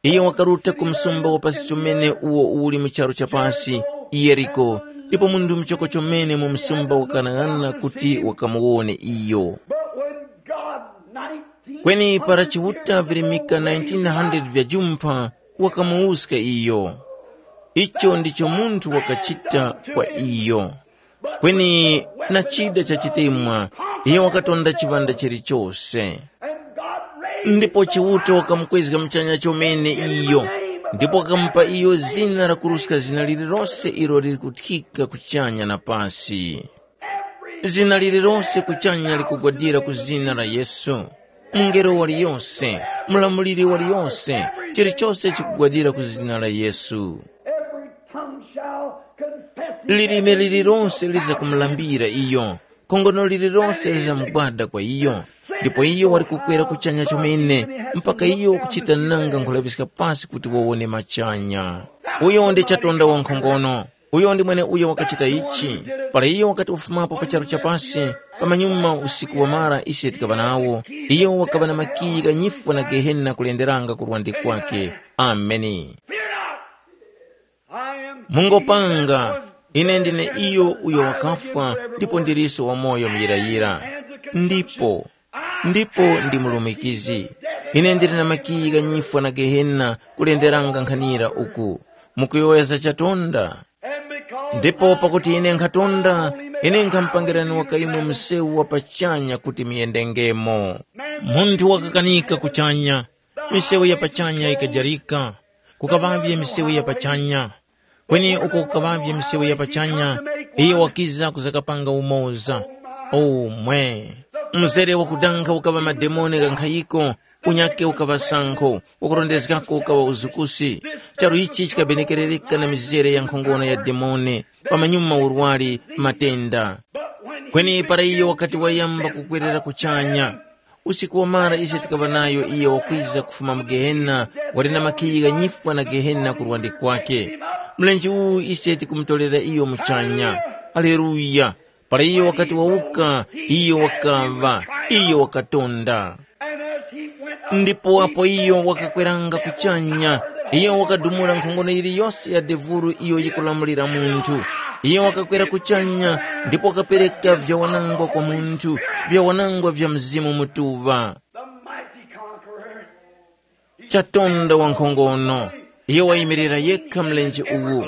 Iyo wakaruta ku msumba wa pasi chomene uwo uli mu charu cha pasi, Yeriko, ndipo munthu muchoko chomene mu msumba wakang'ang'ana kuti wakamuwone iyo. But when God nineteen Kweni para Chiuta virimika nineteen hundred vya jumpha, wakamuwuska iyo. Icho ndicho munthu wakachita kwa iyo. Kweni na chida cha chitemwa, iyo wakatonda chiŵanda chilichose. Ndipo Chiuta wakamukwezga muchanya chomene iyo, ndipo wakamupa iyo zina lakuruska zina lililose ilo lili kuthika kuchanya na pasi. Zina lililose kuchanya likugwadira ku zina la Yesu. Mungelo waliyose, mulamuliri waliyose, chilichose chikugwadira ku zina la Yesu. Every tongue shall confess him. Lilime lililonse lizakumulambira iyo, khongono lililonse lizamugwada kwa iyo. Ndipo iyo wali kukwera kuchanya chomene, mpaka iyo wakuchita nanga nkhulaŵiska pasi kuti wawone machanya. Uyo ndi chatonda wankhongono. Uyo ndi mweneuyo wakachita ichi. Para iyo wakati wafumapo pa charu cha pasi, pamanyuma usiku wamara ise tikaŵa nawo, iyo wakaŵa na makiyi gha nyifwa na Gehena kulenderanga ku lwande kwake. Ameni. Mungopanga, ine ndine iyo uyo wakafwa ndipo ndilinso wamoyo muyirayira. Ndipo, ndipo ndi mulumikizi. Ine ndili na makiyi gha nyifwa na Gehena kulenderanga nkhanira uku. Mukuyowoya za chatonda? Ndipo pakuti ine nkhatonda, ine nkhamupangirani wakayimwe msewu wa pachanya kuti muyendengemo. Munthu wakakanika kuchanya, misewu ya pachanya yikajarika, kukaŵavye misewu ya pachanya. Kweni uko kukaŵavye misewu ya pachanya, iyo wakiza kuzakapanga umoza. O mwe! Mzere wakudankha ukaŵa mademoni ghankhayiko, unyakhe ukaŵa sankho, wakurondezgako ukaŵa uzukusi. Charu ichi chikabenekerereka na mizere ya nkhongono ya demoni, pamanyuma urwari, matenda. Kweni para iyo wakati wayamba kukwerera kuchanya, usiku wamara ise tikaŵa nayo iyo wakwiza kufuma mu Gehena, wali na makiyi gha nyifwa na Gehena ku lwande kwake. Mlenje uwu ise tikumutolera iyo muchanya. Haleluya! Para iyo wakati wawuka, iyo wakaŵa, iyo wakatonda. And as he went up, ndipo apo iyo wakakweranga kuchanya, iyo wakadumula nkhongono yiliyose ya devulu iyo yikulamulira munthu. Iyo wakakwera kuchanya, ndipo wakapereka vyawanangwa kwa munthu, vyawanangwa vya Mzimu Mutuŵa. The mighty conqueror. Chatonda wankhongono, iyo wayimirira yekha mlenje uwu.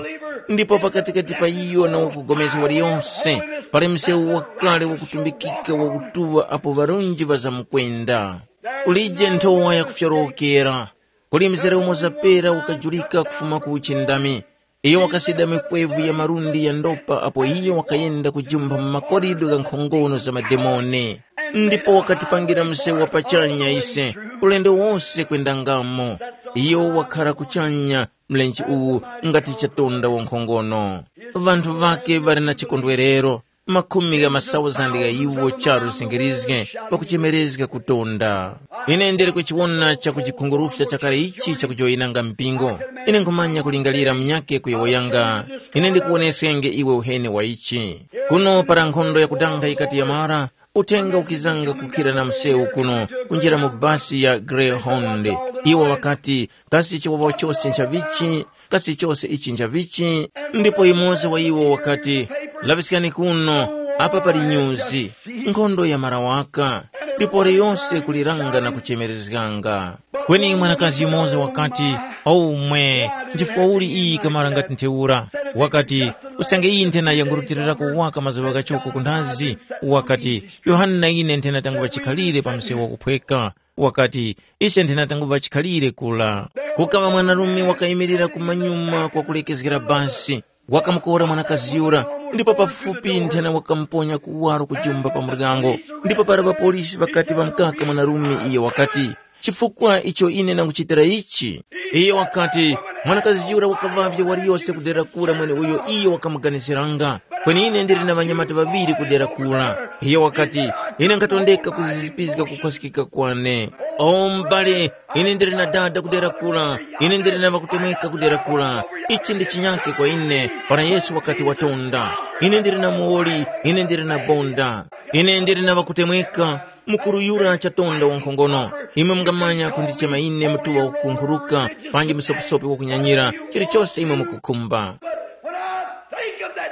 Ndipo pakatikati pa iyo na wakugomezga waliyonse, pali msewu wakale wakutumbikika wakutuŵa apo ŵarunji ŵazamukwenda. Kulije nthowa yakufyorowokera, kuli mzere umo zapera ukajulika kufuma ku uchindami. Iyo wakasida mikwevu ya malundi ya ndopa apo iyo wakayenda kujumpha mu makorido gha nkhongono za mademoni. Ndipo wakatipangira msewu wa pachanya ise, ulendo wose kwendangamo. Iyo wakhara kuchanya mlenje uwu ngati chatonda wankhongono. Ŵanthu ŵake ŵali na chikondwerero, makhumi gha masauzandi gha iwo charu zingirizge pakuchemerezga kutonda. Ine ndili kuchiwona chakuchikhungurufya chakale ichi chakujoyinanga mpingo. Ine nkhumanya kulingalira munyakhe kuyowoyanga. Ine ndikuwoneskenge iwe uheni wa ichi. Kuno para nkhondo yakudanga yikati yamara, uthenga ukizanga kukhira na msewu kuno kunjira mu basi ya Greyhound. Iwo ŵakati, kasi chiwawa chose nchavichi? Kasi chose ichi nchavichi? Ndipo yumoza wa iwo wakati, laŵiskani kuno, apa pali nyuzi. Nkhondo yamara waka, ndipo liyose kuliranga na kuchemerezganga. Kweni mwanakazi yumoza wakati, omwe, nchifukwa uli iyi kamara ngati ntheura? Wakati, usange iyi nthena yangurutilirako waka mazuŵa ghachoko kunthazi. Wakati, Yohane na ine nthena tanguŵa chikhalire pa msewu wakuphweka. Wakati, ise nthena tanguŵa chikhalire kula. Kukaŵa mwanarume wakayimirira kumanyuma kwa kulekezgera basi, wakamukora mwanakazi yura, ndipo pafupi nthena wakamuponya kuwaro kujumba pa muryango. Ndipo para ŵapolisi ŵakati ŵamukaka mwanarume iyo wakati, chifukwa icho ine nanguchitira ichi? Iyo wakati, mwanakazi yura wakaŵavye waliyose kudera kura mweneuyo iyo wakamuganiziranga. Kweni ine ndili na ŵanyamata ŵaŵiri kudera kura. Iyo wakati, ine nkhatondeka kuzizipizga kukhwaskika kwane. O m'bale, ine ndili na dada kudera kura, ine ndili na ŵakutemweka kudera kura. Ichi ndi chinyake kwa ine. Para Yesu wakati watonda, ine ndili na muwoli, ine ndili na bonda. Ine ndili na ŵakutemweka, mukuru yura chatonda wankhongono. Imwe mungamanya kundichema ine mutuŵa wakukunkhuruka, panji msopisopi wakunyanyira, chilichose imwe mukukhumba.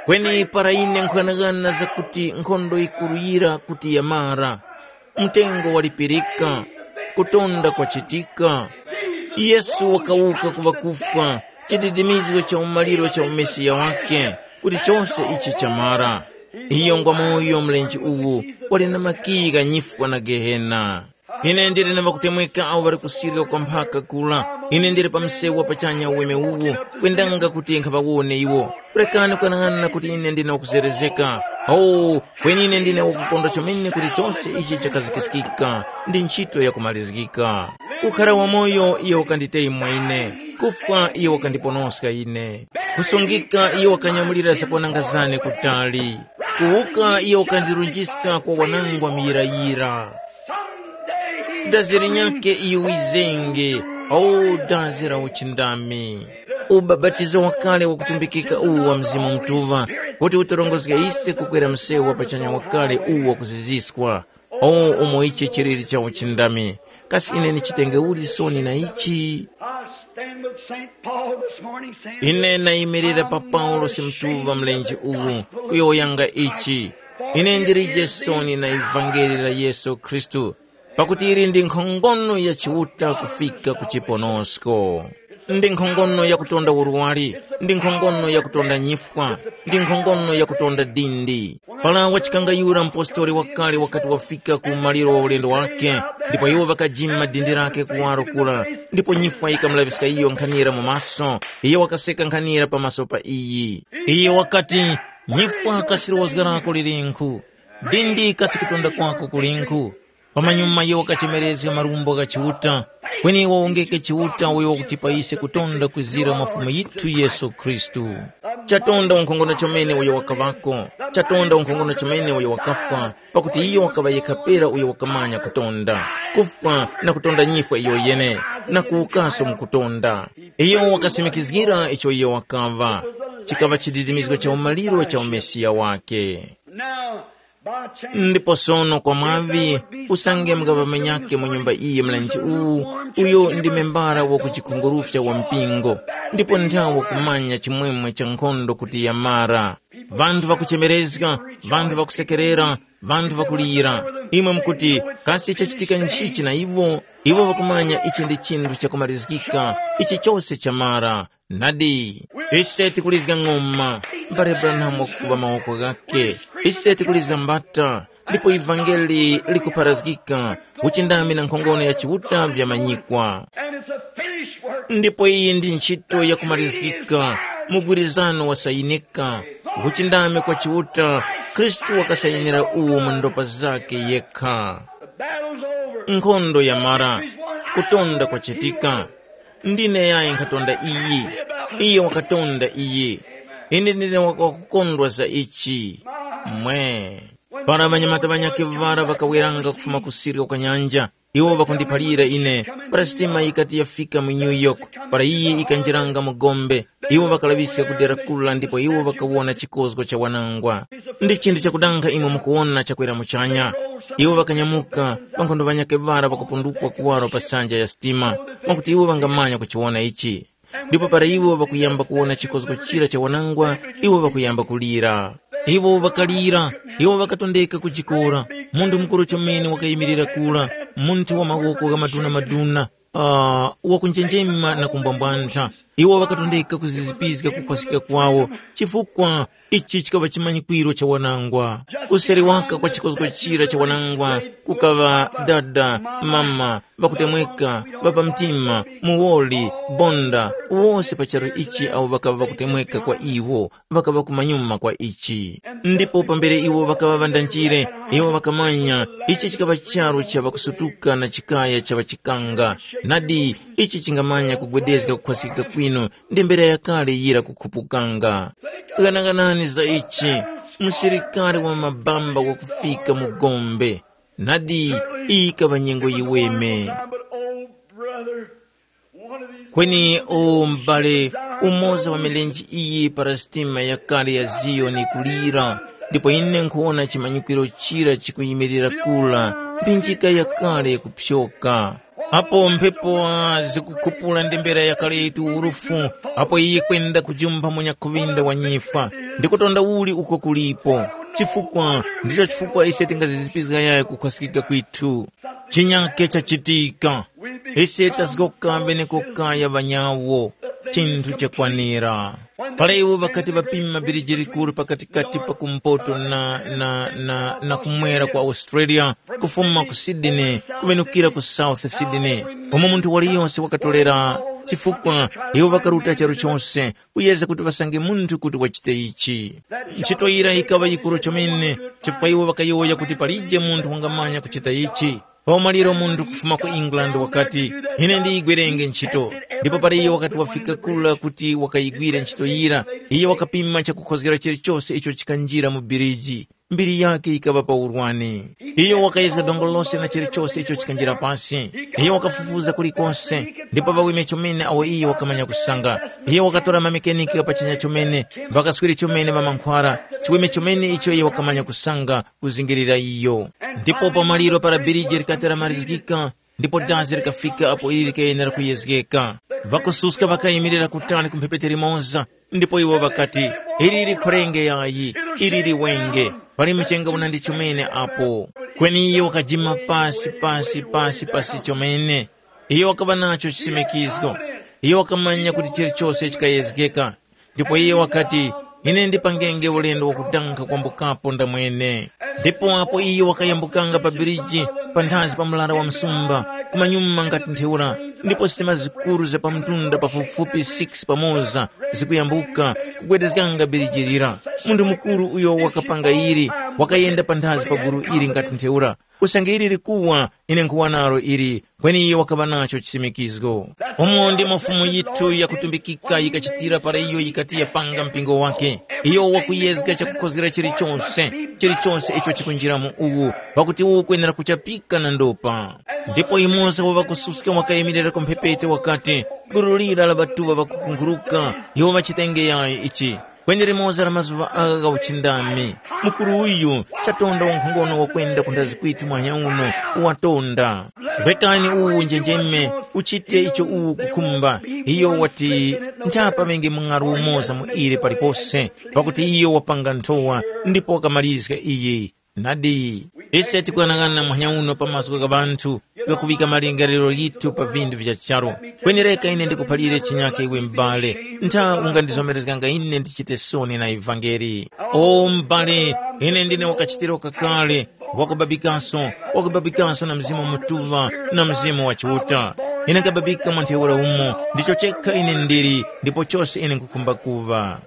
Kweni para ine nkhughanaghana zakuti nkhondo yikuru yira kuti yamara, mtengo walipirika, kutonda kwachitika, Yesu wakawuka ku ŵakufwa, chididimizgo cha umaliro cha umesiya wake, kuti chose ichi chamara. Iyo ngwa moyo mlenje uwu, wali na makiyi gha nyifwa na Gehena. Ine ndili na ŵakutemweka awo ŵali kusirika kwa mphaka kula. Ine ndili pa msewu wa pachanya uweme uwu, kwendanga kuti nkhaŵawone iwo. Rekani kwanang'ana kuti ine ndine wakuzerezeka. Oh, kweni ine ndine wakukondwa chomene kuti chose ichi chakazikiskika, ndi ntchito yakumalizgika. Kukhara wamoyo iyo wakanditeyimwa ine, kufwa iyo wakandiponoska ine. Kusungika iyo wakanyamulira zakwananga zane kutali. Kuwuka iyo wakandirunjiska kwa wanangwa muyirayira. Dazi linyakhe iyo wizenge, o dazi la uchindami. Ubapatizo wakale wakutumbikika uwu wa Mzimu Mutuŵa, kuti utorongozge ise kukwera msewu wa pachanya wakale uwu wakuziziswa. O umo ichi chiliri cha uchindami. Kasi ine ndichitenge uli soni na ichi? I stand with Saint Paul this morning, saying, ine nayimirira pa Paulosi mtuva mlenje uwu, kuyowoyanga ichi. Ine ndilije soni na ivangeli la Yesu Khristu, pakuti ili ndi nkhongono ya Chiuta kufika ku chiponosko. Ndi nkhongono yakutonda urwari, ndi nkhongono yakutonda nyifwa, ndi nkhongono yakutonda dindi. Para wachikangayura mupostoli wakale wakati wafika ku maliro wa ulendo wake, ndipo iwo ŵakajima dindi lake kuwaro kura, ndipo nyifwa yikamulaŵiska iyo nkhanira mu maso, iyo wakaseka nkhanira pamaso pa iyi. Iyo wakati, nyifwa kasi lowozga lako lilinkhu? Dindi kasi kutonda kwako kulinkhu? Pamanyuma iyo wakachemerezga marumbo gha Chiuta, kweni wawongeke Chiuta uyo wakutipa ise kutonda kwizira mwa Fumu yithu Yesu Khristu. Chatonda unkhongono chomene uyo wakaŵako, chatonda unkhongono chomene uyo wakafwa, pakuti iyo wakaŵa yekha pera uyo wakamanya kutonda, kufwa na kutonda nyifwa iyo yene, na kuwukaso mu kutonda. Iyo wakasimikizgira icho iyo wakaŵa, chikaŵa chididimizgo cha umaliro cha umesiya wake. Now, by chance, ndipo sono kwa mwavi, usange mukapamenyake mu nyumba iyi mlenje uwu, uyo ndi membara wa kuchikhungurufya wa mpingo, ndipo nthawe kumanya chimwemwe cha nkhondo kuti yamara. Vanthu vakuchemerezga, vanthu vakusekerera, vanthu vakulira. Imwe mukuti, kasi chachitika nchichi na iwo? Iwo ŵakumanya ichi ndi chinthu chakumalizgika, ichi chose chamara. Nadi, ise tikulizga ng'oma, mbale Branham wakukuŵa mawoko ghakhe. Ise tikulizga mbata, ndipo ivangeli likupharazgika, uchindami na nkhongono ya Chiuta vyamanyikwa. And it's a finished work. Ndipo iyi ndi ntchito yakumalizgika, mugwirizano wasayinika, uchindami kwa Chiuta, Khristu wakasayinira uwo mu ndopa zake yekha. The battle's over. Nkhondo yamara, kutonda kwachitika. Ndine yayi nkhatonda iyi, iye wakatonda iyi. Ine ndine wakukondwa za ichi. Mwe. Para ŵanyamata ŵanyakhe ŵara ŵakaweranga kufuma ku sirya kwa nyanja, iwo ŵakundiphalira ine, para sitima yikati yafika mu New York, para iyi ikanjiranga mu gombe, iwo ŵakalaŵiska ku dera kula ndipo iwo ŵakawona chikozgo cha wanangwa. Ndi chinthu chakudanga imwe mukuwona chakwera muchanya. Iwo ŵakanyamuka, ŵankhondo ŵanyakhe ŵara ŵakapundukwa kuwaro pa sanja ya sitima, mwakuti iwo ŵangamanya kuchiwona ichi. Ndipo para iwo ŵakuyamba kuwona chikozgo chira cha wanangwa, iwo ŵakuyamba kulira. Iwo ŵakalira, iwo ŵakatondeka kujikora. Munthu mukuru chomene wakayimirira kura, munthu wa mawoko gha maduna-maduna, uh, wakunjenjema na kumbwambwantha. Iwo ŵakatondeka kuzizipizga kukhwaska kwawo, chifukwa ichi chikaŵa chimanyikwiro cha wanangwa. Kuseri waka kwa chikozgo chira cha wanangwa, kukaŵa dada, mama, ŵakutemweka, ŵa pa mtima, muwoli, bonda, wose pa charu ichi awo ŵakaŵa ŵakutemweka kwa iwo, ŵakaŵa kumanyuma kwa ichi. Ndipo pambere iwo ŵakaŵa ŵandanjire, iwo ŵakamanya ichi chikaŵa charu cha ŵakusutuka na chikaya cha ŵachikanga. Nadi, ichi chingamanya kugwedezga kukhwasikika kwinu ndi mbera yakale yira kukhupukanga. Ghanaghanani za ichi, msilikari wa mabamba wakufika mu gombe. Nadi, iyi ikaŵa nyengo yiweme. But, oh, brother, one of these Kweni, o m'bale, umoza wa milenje iyi para sitima yakale ya Ziyoni kulira, ndipo ine nkhuwona chimanyikwiro chira chikuyimirira kula, mphinjika yakale yakupyoka. Apo mphepo zikukhupula ndembera yakale yitu urufu, apo iye kwenda kujumpha munyakhuŵinda wa nyifwa, ndi kutonda uli uko kulipo. Chifukwa, ndicho chifukwa ise tingazizipizga yayo kukhwasikika kwithu. Chinyake chachitika. Ise tazgoka beneko kaya ŵanyawo, chinthu chakwanira. Para iwo ŵakati ŵapima biriji likuru pakatikati pa kumpoto na, na, na, na kumwera kwa Australia, kufuma ku Sydney kuŵenukira ku South Sydney, umo munthu waliyonse wakatolera, chifukwa iwo ŵakaruta charu chose kuyeza kuti ŵasange munthu kuti wachite ichi. Ntchito yira yikaŵa yikuru chomene, chifukwa iwo ŵakayowoya kuti palije munthu wangamanya kuchita ichi. Pa umaliro munthu kufuma ku England wakati, ine ndiyigwerenge ntchito. Ndipo para iyo wakati wafika kula kuti wakayigwire ntchito yira, iyo wakapima chakukhozgera chilichose icho chikanjira mu biriji. Mbiri yake yikaŵa pa urwani. Iyo wakayezga dongo lose na chilichose icho chikanjira pasi. Iyo wakafufuza kulikose, ndipo ŵaweme chomene awo iyo wakamanya kusanga. Iyo wakatora mamekeniki ghapachanya chomene, ŵakaswiri chomene ŵamankhwara, chiweme chomene icho iyo wakamanya kusanga, kuzingirira iyo. Ndipo pamaliro para biriji likati lamarizgika, ndipo dazi likafika apo ili likayenera kuyezgeka. Ŵakususka ŵakayimirira kutali ku mphepete limoza, ndipo iwo ŵakati, ili likhorenge yayi, ili liwenge, pali mchenga unandi chomene apo. Kweni iyo wakajima pasi, pasi, pasi, pasi chomene. Iyo wakaŵa nacho chisimikizgo. Iyo wakamanya kuti chilichose chikayezgeka. Ndipo iye wakati, ine ndipangenge ulendo wakudanga kwambukapo ndamwene. Ndipo apo iyo wakayambukanga pa biriji, panthazi pa mlara wa msumba, kumanyuma ngati ntheura, ndipo sitima zikuru za pamtunda pafupifupi six pamoza zikuyambuka kugwedezganga biriji lira. Munthu mukuru uyo wakapanga ili, wakayenda panthazi pa gulu ili ngati ntheura, Usange ili likuwa, ine nkhuwa nalo ili, kweni iyo wakaŵa nacho chisimikizgo. Umo ndimo Fumu yithu yakutumbikika yikachitira para iyo yikati yapanga mpingo wake. Iyo wakuyezga chakukhozgera chilichonse, chilichonse icho chikunjira mu uwu, pakuti uwu kwenera kuchapika na ndopa. Ndipo yumoza wa ŵakususka wakayimirira ku mphepete wakati, gulu lira la ŵatuŵa ŵakukunguruka, iwo ŵachitenge yayi ichi. Kweni limoza la mazuŵa agha gha uchindami, mukuru uyu chatonda unkhongono wakwenda ku ndazi kwithu mwanya uno, watonda. Rekani uwu unjenjeme, uchite icho uwu ukukhumba. Iyo wati, nthapa ŵenge mung'alu umoza mu ile palipose, pakuti iyo wapanga nthowa ndipo wakamalizga iyi. Nadi, ise tikuyang'ana muhanya uno pa mazgu gha ŵanthu ghakuŵika malingaliro ghithu pa vinthu vya charu. Kweni reka ine ndikuphalire chinyake iwe m'bale, ntha ungandizomerezganga ine ndichite soni na ivangeli. O m'bale, ine ndine wakachitiro kakale, wakubabikaso, wakubabikaso na Mzimu Mutuŵa na Mzimu wa Chiuta. Ine nkababika mwa ntheura umo, ndicho chekha ine ndili, ndipo chose ine nkhukhumba kuŵa.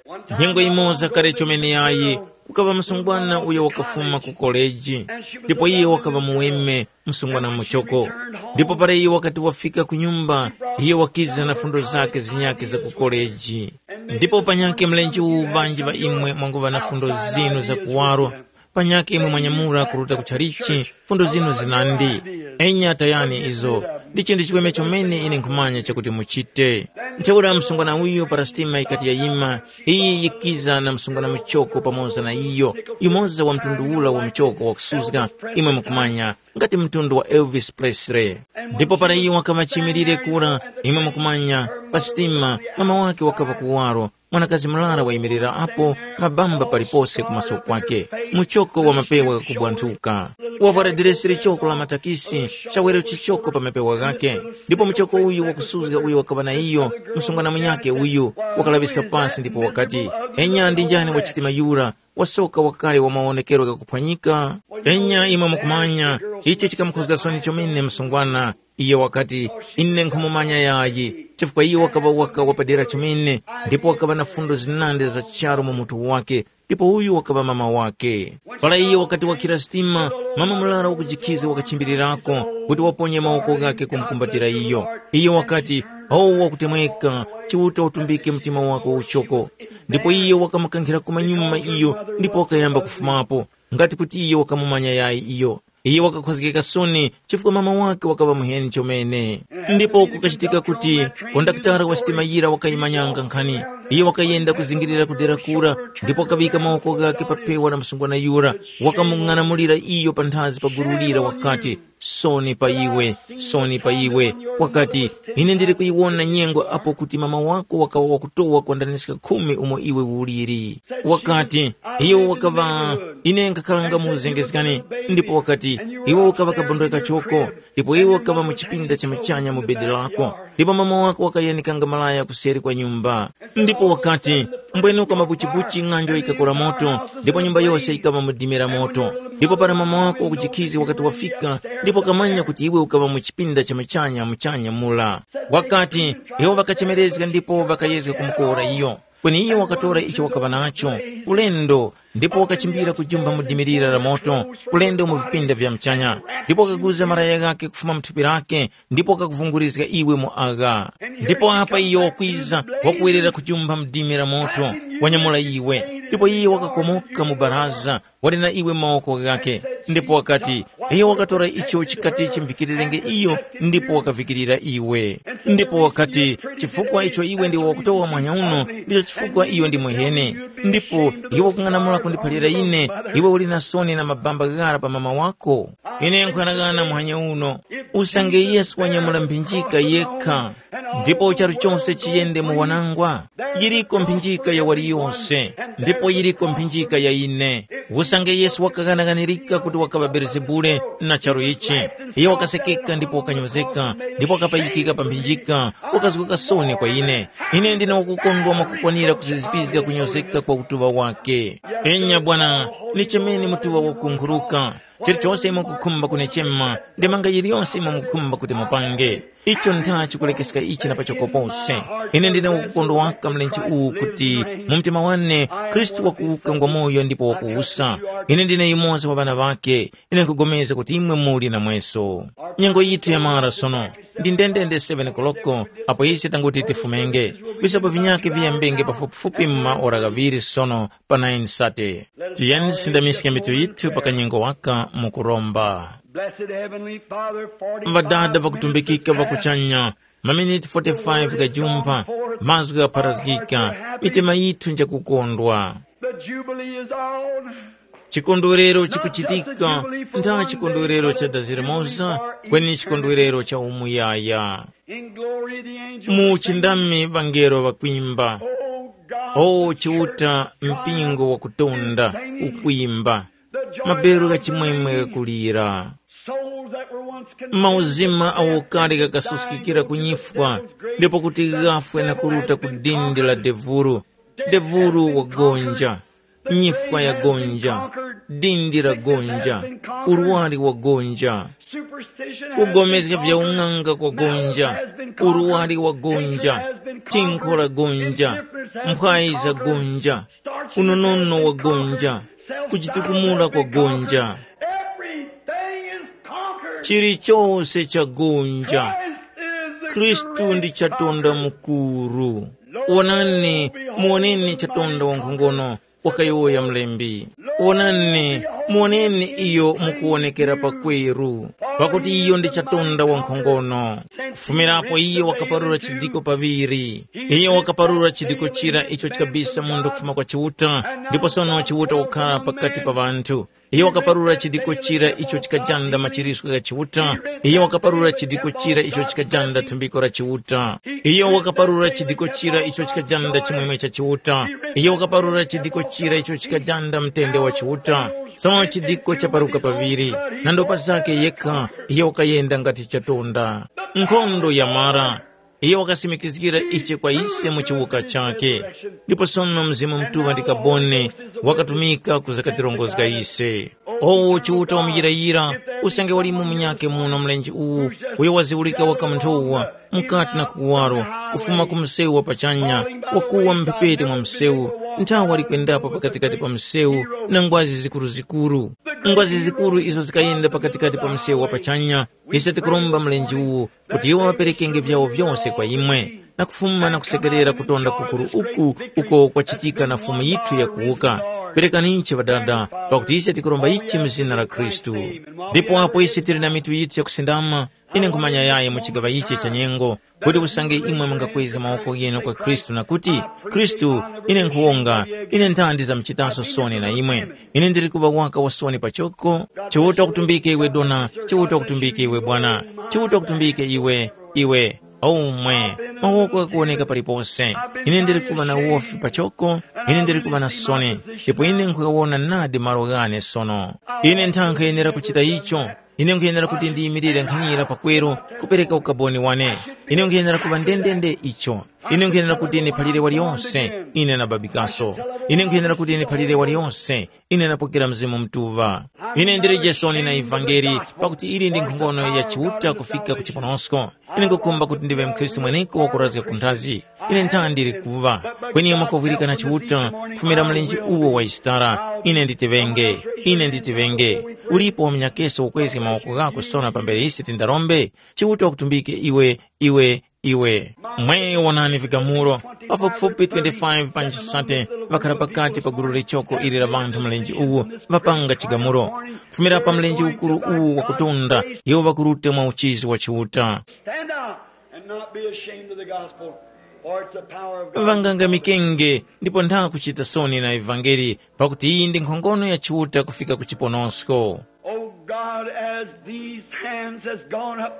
Nyengo imoza kale chomene yayi, kukaŵa msungwana uyo wakafuma ku koleji, ndipo iye wakaŵa muweme, msungwana muchoko. Ndipo para iye wakati wafika ku nyumba, iye wakiza na fundo zakhe zinyakhe za ku koleji. Ndipo panyakhe mlenje uwu ŵanji ŵa imwe mwanguŵa na fundo zinu za kuwaro, panyakhe imwe mwanyamura kuruta ku chalichi, fundo zinu zinandi. Enya tayani izo, ndi chinthu chiweme chomene ine nkhumanya chakuti muchite. Ntheura msungwana uyu para sitima yikati yayima, iyi yikiza na msungwana muchoko pamoza na iyo, yumoza wa mtundu ula wa muchoko wakusuzga, imwe mukumanya, ngati mtundu wa Elvis Presley. Ndipo para iyo wakaŵa chimilire kura, imwe mukumanya, pa sitima, mama wake wakaŵa kuwaro, mwanakazi murara wayimirira apo, mabamba palipose ku maso kwake, muchoko wa mapewa ghakubwanthuka. Wavwara diresi lichoko la matakisi, chawerero chichoko pa mapewa ghake. Ndipo muchoko uyu wakusuzga uyo wakaŵa na iyo, msungwana munyakhe uyu, wakalaŵiska pasi ndipo wakati, enya ndi njani wa chitima yura, wasoka wakale wa mawonekero ghakuphwanyika? Enya imwe mukumanya, icho chikamukhozga soni chomene msungwana. Iyo wakati, ine nkhumumanya yayi, chifukwa iyo wakaŵa waka wapadera chomene, ndipo wakaŵa na fundo zinandi za charu mu mutu wake, ndipo uyu wakaŵa mama wake. Para iyo wakati wakhira sitima, mama murara wakujikhiza wakachimbirirako kuti waponye mawoko ghake kumukumbatira iyo. Iyo wakati, o wakutemweka, Chiuta utumbike mtima wako uchoko. Ndipo iyo wakamukankhira kumanyuma iyo ndipo wakayamba kufumapo, ngati kuti iyo wakamumanya yayi iyo. Iyo wakakhozgeka soni chifukwa mama wake wakaŵa muheni chomene. Ndipo kukachitika kuti kondakitara wa sitima yira wakayimanyanga nkhani. Iyo wakayenda kuzingirira ku dera kura ndipo wakaŵika mawoko ghake pa pewa la msungwana yura, wakamung'anamulira iyo panthazi pa gulu lira wakati, soni pa iwe, soni pa iwe. Wakati, ine ndili kuyiwona nyengo apo kuti mama wako wakawa wakutowa kwandaniska khumi umo iwe uliri. Wakati, iyo wakaŵa, ine nkakhalanga mu uzengezgani, ndipo wakati, iwe ukaŵa kabondwe kachoko, ndipo iwe ukaŵa mu chipinda cha muchanya mu bedi lako, ndipo mama wako wakayanikanga malaya kuseri kwa nyumba. Ndipo wakati, mbwenuka mabuchibuchi ng'anjo yikakora moto, ndipo nyumba yose yikaŵa mu dimi la moto. Ndipo para mama wako wakujikhizi wakati wafika, ndipo wakamanya kuti iwe ukaŵa mu chipinda cha muchanya muchanya mura. Wakati, iwo ŵakachemerezga ndipo ŵakayezga kumukora iyo. Kweni iyo wakatora icho wakaŵa nacho, ulendo, ndipo wakachimbira kujumba mu dimi lira la moto, ulendo mu vipinda vya muchanya. Ndipo wakaguza malaya ghake kufuma mu thupi lake, ndipo wakakuvungurizga iwe mu agha. Ndipo apa iyo wakwiza, wakuwerera kujumba mu dimi la moto, wanyamula iwe. Ndipo iye wakakomoka mu baraza, wali na iwe mu mawoko ghakhe. Ndipo wakati, iyo wakatora icho chikati chimvikirenge iyo, ndipo wakavikirira iwe. Ndipo wakati, chifukwa icho iwe ndiwe wakutowa mwanya uno, ndicho chifukwa iyo ndi muheni. Ndipo iwe ukung'anamula kundiphalira ine, iwe uli na soni na mabamba ghara pa mama wako? Ine nkuyanaghana muhanya uno, usange Yesu wanyamula mphinjika yekha, ndipo charu chose chiyende mu wanangwa, yiriko mphinjika ya waliyose, ndipo yiriko mphinjika ya ine. Usange Yesu wakaghanaganirika kuti wakaŵa Belezebule na charu ichi, iyo wakasekeka ndipo wakanyozeka, ndipo wakapayikika pa mphinjika, wakazguka soni kwa ine. Ine ndine wakukondwa mwakukwanira kuzizipizga kunyozeka kwa utuŵa wake. Enya Bwana, ni chemeni mutuŵa wakunkhuruka. Chilichonse imwe mukukhumba kunechema, ndemanga yiliyonse imwe mukukhumba kuti mupange. Icho ntha chikulekeska ichi na pachoko pose. Ine ndine wakukondwa waka mlenje uwu kuti mu mtima wane Khristu wakuwuka ngwa moyo ndipo wakuwusa. Ine ndine yumoza wa ŵana ŵake. Ine nkugomeza kuti imwe muli namweso. Nyengo yithu yamara sono. Ndi ndendende seven koloko apo ise tanguti tifumenge. Visapo vinyake viyambenge pafupifupi mu maora ghaŵiri sono pa nine sate. Tiyeni tisindamiske mitu yithu pa kanyengo waka mu kuromba. Blessed Heavenly Father, forty-five Ŵadada vakutumbikika minutes vakuchanya, maminiti forty-five ghajumpha, mazgu ghapharazgika, mitima yithu njakukondwa. The Jubilee is on. Chikondwerero chikuchitika, ntha chikondwerero cha dazi limoza, kweni chikondwerero cha umuyaya. In glory the angels mu chindami ŵangelo ŵakwimba. Oh God, o the chiuta church mpingo wakutonda, ukwimba. The joy maberu of gha chimwemwe ghakulira. Souls that were once condemned mauzima to death awo kale and ghakasuskikira died ku into the nyifwa, devil's grave, ndipo kuti ghafwe na kuruta ku dindi la devuru. Devuru wagonja, nyifwa yagonja, dindi lagonja, urwari wagonja, kugomezga vya ung'anga kwagonja, urwari wagonja, tinkho lagonja, mphwayi zagonja, unonono wagonja, kujitukumula kwagonja. Chilichose chagonja. Khristu ndi chatonda mukuru. Wonani, muwoneni chatonda wankhongono, wakayowoya mlembi. Wonani, muwoneni iyo mukuwonekera pakweru, pakuti iyo ndi chatonda wankhongono. Kufumirapo iyo wakaparura chidiko paŵiri. Iyo wakaparura chidiko chira icho chikabisa munthu kufuma kwa Chiuta, ndipo sono Chiuta wakukhala pakati pa ŵanthu. Iyo wakaparura chidiko chira icho chikajanda machiriswe gha Chiuta. Iyo wakaparura chidiko chira icho chikajanda thumbiko la Chiuta. Iyo wakaparura chidiko chira icho chikajanda chimwemwe cha Chiuta. Iyo wakaparura chidiko chira icho chikajanda mtende wa Chiuta. Sono chidiko chaparuka paŵiri, na ndopa zake yekha, iyo wakayenda ngati chatonda. Nkhondo yamara. Iye wakasimikizgira ichi kwa ise mu chiwuka chakhe. Ndipo sono Mzimu Mutuŵa ndi kaboni wakatumika kuzakatirongozga ise. O Chiuta wamuyirayira, usange walimo munyakhe muno mlenje uwu, uyo waziwulika waka munthuwa, mukati na kuwaro, kufuma ku msewu wa pachanya, wakuwa mphepete mwa msewu, nthawi wali kwendapo pakatikati pa msewu na ngwazi zikuruzikuru. Ngwazi zikuru izo zikayenda pakatikati pa msewu wa pachanya, ise tikuromba mlenje uwu, kuti iwo ŵaperekenge vyawo vyose kwa imwe, na kufuma na kusekerera kutonda kukuru uku uko kwachitika na Fumu yithu yakuwuka. Perekaninchi Ŵadada, pakuti ise tikuromba ichi mu zina la Khristu. Ndipo apo ise tili na mitu yithu yakusindama, ine nkhumanya yayi mu chigaŵa ichi cha nyengo, kuti usange imwe mungakwezga mawoko ghinu kwa Khristu na kuti, “Khristu, ine nkhuwonga, ine nthandi ndizamchitaso soni na imwe. Ine ndili kuŵa waka wa soni pachoko.” Chiuta kutumbike iwe dona, Chiuta kutumbike iwe bwana, Chiuta kutumbike iwe, iwe, omwe, mawoko ghakuwoneka palipose. Ine ndili kuŵa na uwofi pachoko, ine ndili kuŵa na soni, ndipo ine nkhuyawona nadi malo ghane sono. Ine nthankha yenera kuchita icho. Ine nkhuyenera kuti ndiyimirire nkhanira pakweru kupereka ukaboni wane. Ine nkhuyenera kuŵa ndendende icho. Ine nkhuyenera kuti ndiphalire waliyonse, ine na babikaso. Ine nkhuyenera kuti ndiphalire waliyonse, ine napokera Mzimu Mutuŵa. Ine ndili Jesoni na ivangeli, pakuti ili ndi nkhongono ya Chiuta kufika ku chiponosko. Ine nkhukhumba kuti ndiŵe mkhristu mweneko wakurazga ku nthazi. Ine nthandi ndili kuŵa. Kweni mwakovwirika na Chiuta, kufumira mlenje uwo wa Yisitara, ine nditiŵenge, ine nditiŵenge. Ulipo wa munyakeso ukwezge mawoko ghako sono pambere ise tindarombe? Chiuta wakutumbike iwe, iwe, iwe. Mwe wonani vigamulo, pafupifupi twenty-five pa nchisate ŵakhara pakati pa gulu lichoko ili la ŵanthu mlenje uwu, ŵapanga chigamulo. Kufumira pa mlenje ukuru uwu wakutunda, iwo ŵakuruta mwa uchizi wa Chiuta. Stand up and not be ashamed of the gospel, for it's the power of God. Ŵangangamikenge ndipo ntha kuchita soni na ivangeli, pakuti iyi ndi nkhongono ya Chiuta kufika ku chiponosko. Oh God, as these hands has gone up,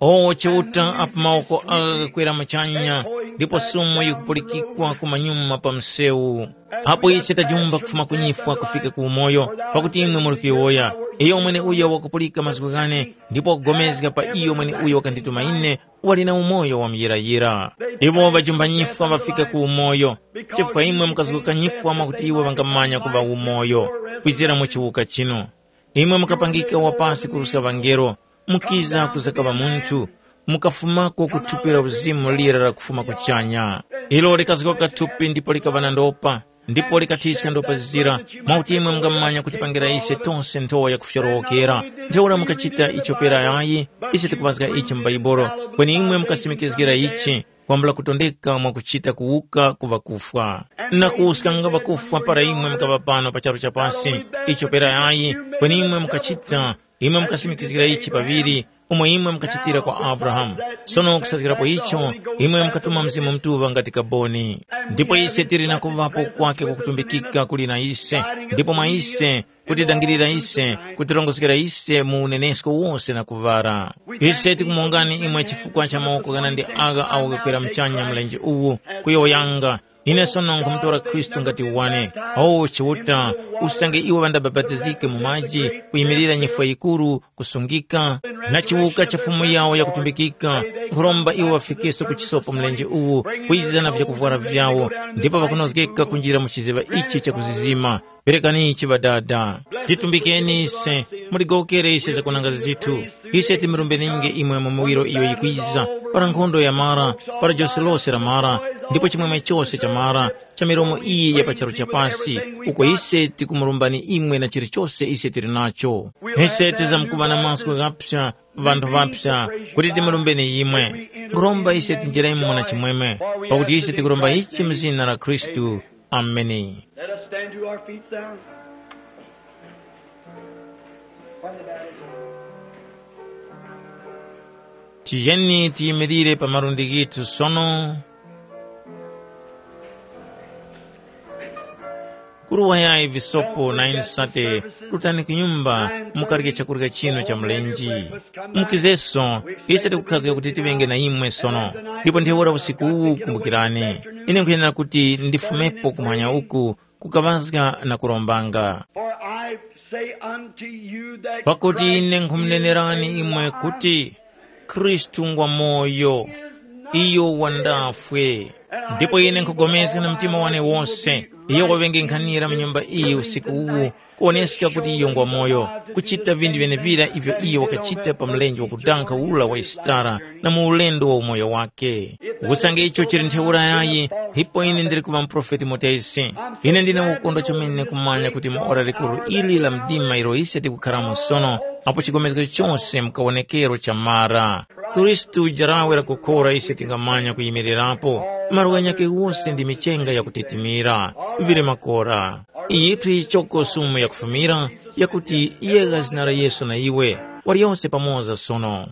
O Chiuta, apo mawoko agha ghakwera muchanya, ndipo sumo yikupulikikwa ku manyuma pa msewu. Apo ise tajumba kufuma ku nyifwa kufika ku umoyo, pakuti imwe muli kuyowoya, iyo mweneuyo wakupulika mazgu ghane, ndipo wakugomezga pa iyo mweneuyo wakandituma ine, wali na umoyo wa muyirayira. Iwo ŵajumba nyifwa ŵafika ku umoyo, chifukwa imwe mukazguka nyifwa mwakuti iwo ŵangamanya kuŵa umoyo, kwizira mu chiwuka chinu. Imwe mukapangika wapasi kuruska ŵangelo, mukiza kuzakaŵa munthu, mukafumako ku thupi la uzimu lira lakufuma kuchanya. Ilo likazgoka thupi ndipo likaŵa na ndopa, ndipo likathiska ndopa zira, mwakuti imwe mungamanya kutipangira ise tose nthowa yakufyorowokera. Ntheura mukachita icho pera yayi, ise tikuŵazga ichi mu Bhaibuli, kweni imwe mukasimikizgira ichi, kwambula kutondeka mwakuchita kuwuka ku ŵakufwa. Na kuwuskanga ŵakufwa para imwe mukaŵa pano pa charu cha pasi, icho pera yayi, kweni imwe mukachita, imwe mukasimikizgira ichi paŵiri, umo imwe mukachitira kwa Abrahamu. Sono kusazgirapo icho, imwe mukatuma Mzimu Mutuŵa ngati kaboni. Ndipo ise tili na kuŵapo kwake kwakutumbikika kuli na ise, ndipo mwa ise, kutidangirira ise, kutirongozgera ise mu unenesko wose na kuŵara. Ise tikumongani imwe chifukwa cha mawoko ghanandi agha agho ghakwera muchanya mlenje uwu, kuyowoyanga, ine sono nkhumutora Khristu ngati wane. O Chiuta, usange iwo ŵandabapatizike mu maji, kuyimirira nyifwa yikuru, kusungika, na chiwuka cha Fumu yawo yakutumbikika, nkhuromba iwo ŵafikiso ku chisopo mlenje uwu, kwiza na vyakuvwara vyawo, ndipo ŵakunozgeka kunjira mu chiziŵa ichi chakuzizima. Perekani ichi Ŵadada. Titumbikeni ise, muligowokere ise zakunanga zithu. Ise timurumbeninge imwe mu miwiro iyo yikwiza, para nkhondo yamara, para jose lose lamara, ndipo chimwemwe chose chamara, cha milomo iyi ya pa charu cha pasi, uko ise tikumurumbani imwe na chilichose ise tili nacho. Ise tizamkuŵa na mazgu ghapsa, ŵanthu ŵapsa, kuti timurumbeni imwe. Nkhuromba ise tinjeremo na chimwemwe, pakuti ise tikuromba ichi mu zina la Khristu. Ameni. Let us stand to our feet now. Tiyeni tiyimirire pa malundi ghithu sono. Kuruwayayi visopo na ine sate, rutani ku nyumba, mukarye chakurya chinu cha mlenje. Mukizeso, ise tikukhazga kuti tiŵenge na imwe sono. Ndipo ntheura usiku uwu kumbukirani, ine nkhuyenera kuti ndifumepo kumwanya uku, kukaŵazga na kurombanga. For I say unto you that Pakuti ine nkhumunenerani imwe kuti, Khristu ngwa moyo, iyo wandafwe. Ndipo ine nkhupulikana na mtima wane wose, iyo waŵenge nkhanira mu nyumba iyi usiku uwu, kuwoneska kuti iyo ngwa moyo, kuchita vinthu vyenevira ivyo iyo wakachita pa mlenje wakudankha ura wa Yisitara na mu ulendo wa umoyo wake. Usange icho chili ntheura yayi, ndipo ine ndili kuŵa muprofeti mutesi. Ine ndine ukondwa chomene kumanya kuti mu ora likuru ili la mdima ilo ise tikukharamo sono, apo chigomezgo chose mkawonekero chamara. Khristu jarawe lakukhora ise tingamanya kuyimirirapo, malo ghanyakhe wose ndi michenga yakutitimira, vili makora. Yithu yichoko sumu yakufumira, yakuti yegha zina la Yesu na iwe, waliyose pamoza sono.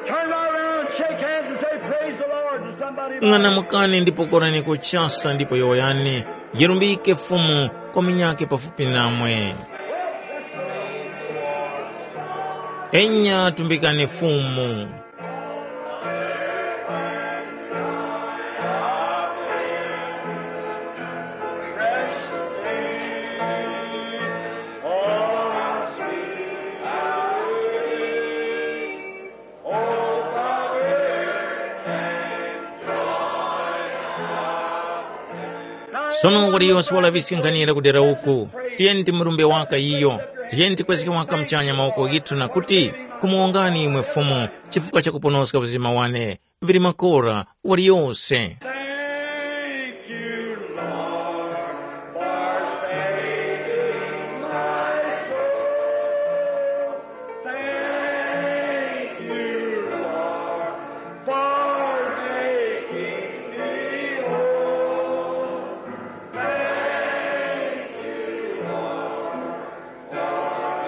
Turn right around, shake hands and say, "Praise the Lord," to somebody. Ng'anamukani ndipo korani kuchasa ndipo yowoyani, yerumbike Fumu kwa munyakhe pafupi namwe. Enya tumbikani Fumu. Sono waliyose walaŵiske nkhanira kudera uku, tiyeni timurumbe waka iyo, tiyeni tikwezge waka muchanya mawoko ghithu na kuti, kumuwongani imwe Fumu chifukwa cha kuponoska uzima wane, vili makora, waliyose. Thank you, Lord, for saving my soul. Thank you, Lord, for making me whole. Thank you, Lord, for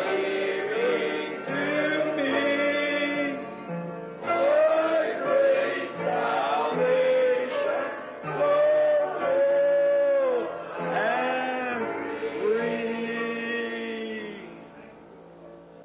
giving to me thy great salvation, so full and free.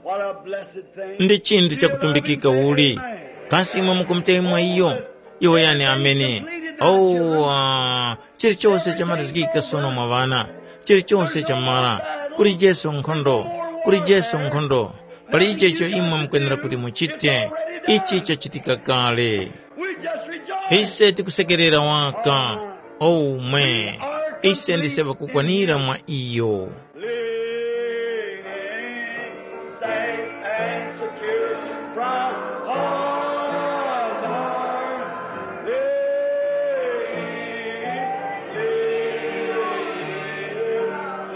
What a blessed thing. Ndi chinthu chakutumbikika uli. Kasi imwe mukumutemwa iyo? Iwo yani amene. Oh, ah, chilichose chamalizgika sono mwa ŵana. Chilichose chamara. Kuli Jesu nkhondo. Kuli Jesu nkhondo. Pali icho icho imwe mukwenera kuti muchite, ichi chachitika kale. We just rejoice. Ise tikusekerera waka. Omwe. Ise ndise ŵakukwanira mwa iyo. Living safe and secure from all harm. Living, living,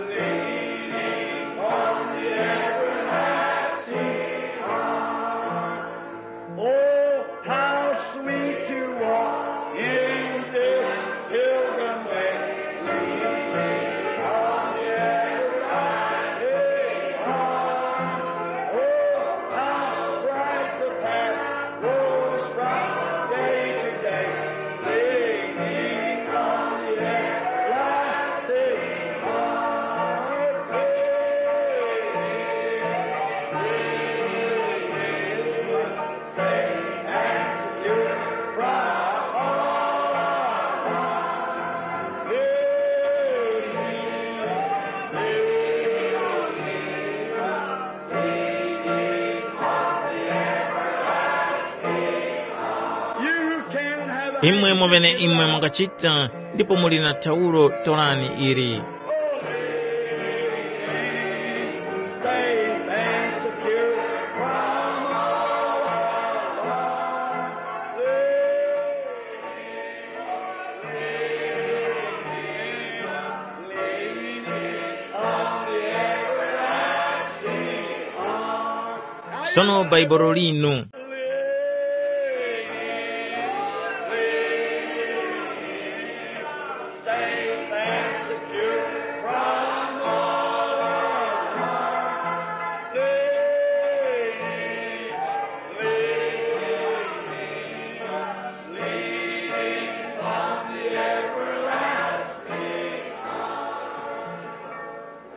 leaning on the everlasting arm. Oh, how sweet to walk in this pilgrim way. On the everlasting arm. Oh, how bright the path grows from day to day. Leaning on the everlasting arm. Imwe muvene imwe mungachita, ndipo muli na thawulo, torani ili. Safe and secure from all harm. Sono Bhaibuli linu.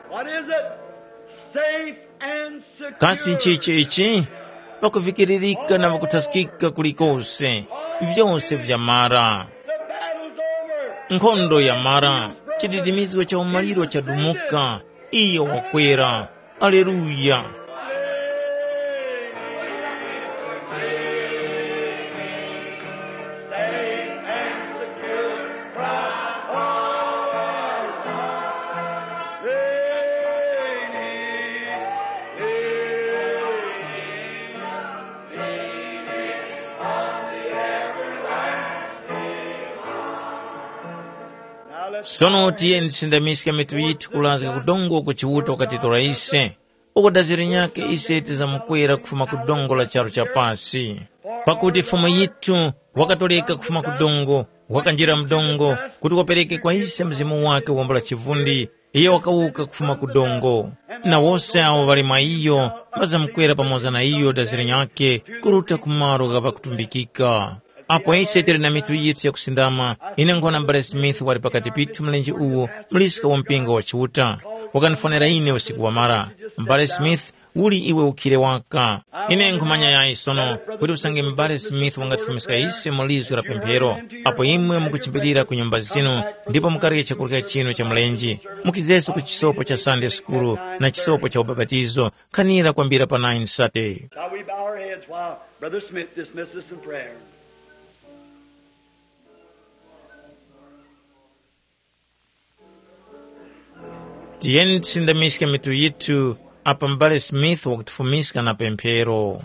What is it? Safe and secure. Kasi nchichi ichi? Pakuvikiririka na pakuthaskika kulikose, vyose vyamara. The battle's over. Nkhondo yamara, chididimizgo cha umaliro chadumuka, iyo wakwera. Aleluya! Sono tiyeni tisindamiske mitu yithu kulazga ku dongo ku Chiuta wakatitora ise. Uko daziri nyakhe ise tizamukwera kufuma ku dongo la charu cha pasi. Pakuti Fumu yithu wakatoleka kufuma ku dongo, wakanjira mu dongo, kuti wapereke kwa ise Mzimu wakhe wambula chivundi, iyo wakawuka kufuma ku dongo. Na wose awo ŵali mwa iyo, ŵazamukwera pamoza na iyo daziri nyakhe, kuruta ku malo gha ŵakutumbikika. Apo ise tili na mitu yithu yakusindama, ine nkhona M'bale Smith wali pakati pithu mlenje uwu, muliska wa mpingo wa Chiuta. Wakandifonera ine usiku wamara. M'bale Smith, uli iwe ukhire waka? Ine nkhumanya yayi sono kuti usange M'bale Smith wangatifumiska ise mu lizgu la pemphero. Apo imwe mukuchimbilira ku nyumba zinu, ndipo mukarye chakurya chinu cha mlenje, mukizireso ku chisopo cha Sunday School na chisopo cha ubapatizo, khanira kwambira pa nine sate. Shall we bow our heads while Brother Smith dismisses us in prayer? Tiyeni tisindamiske mitu yithu apa M'bale Smith wakutifumiska na pemphero.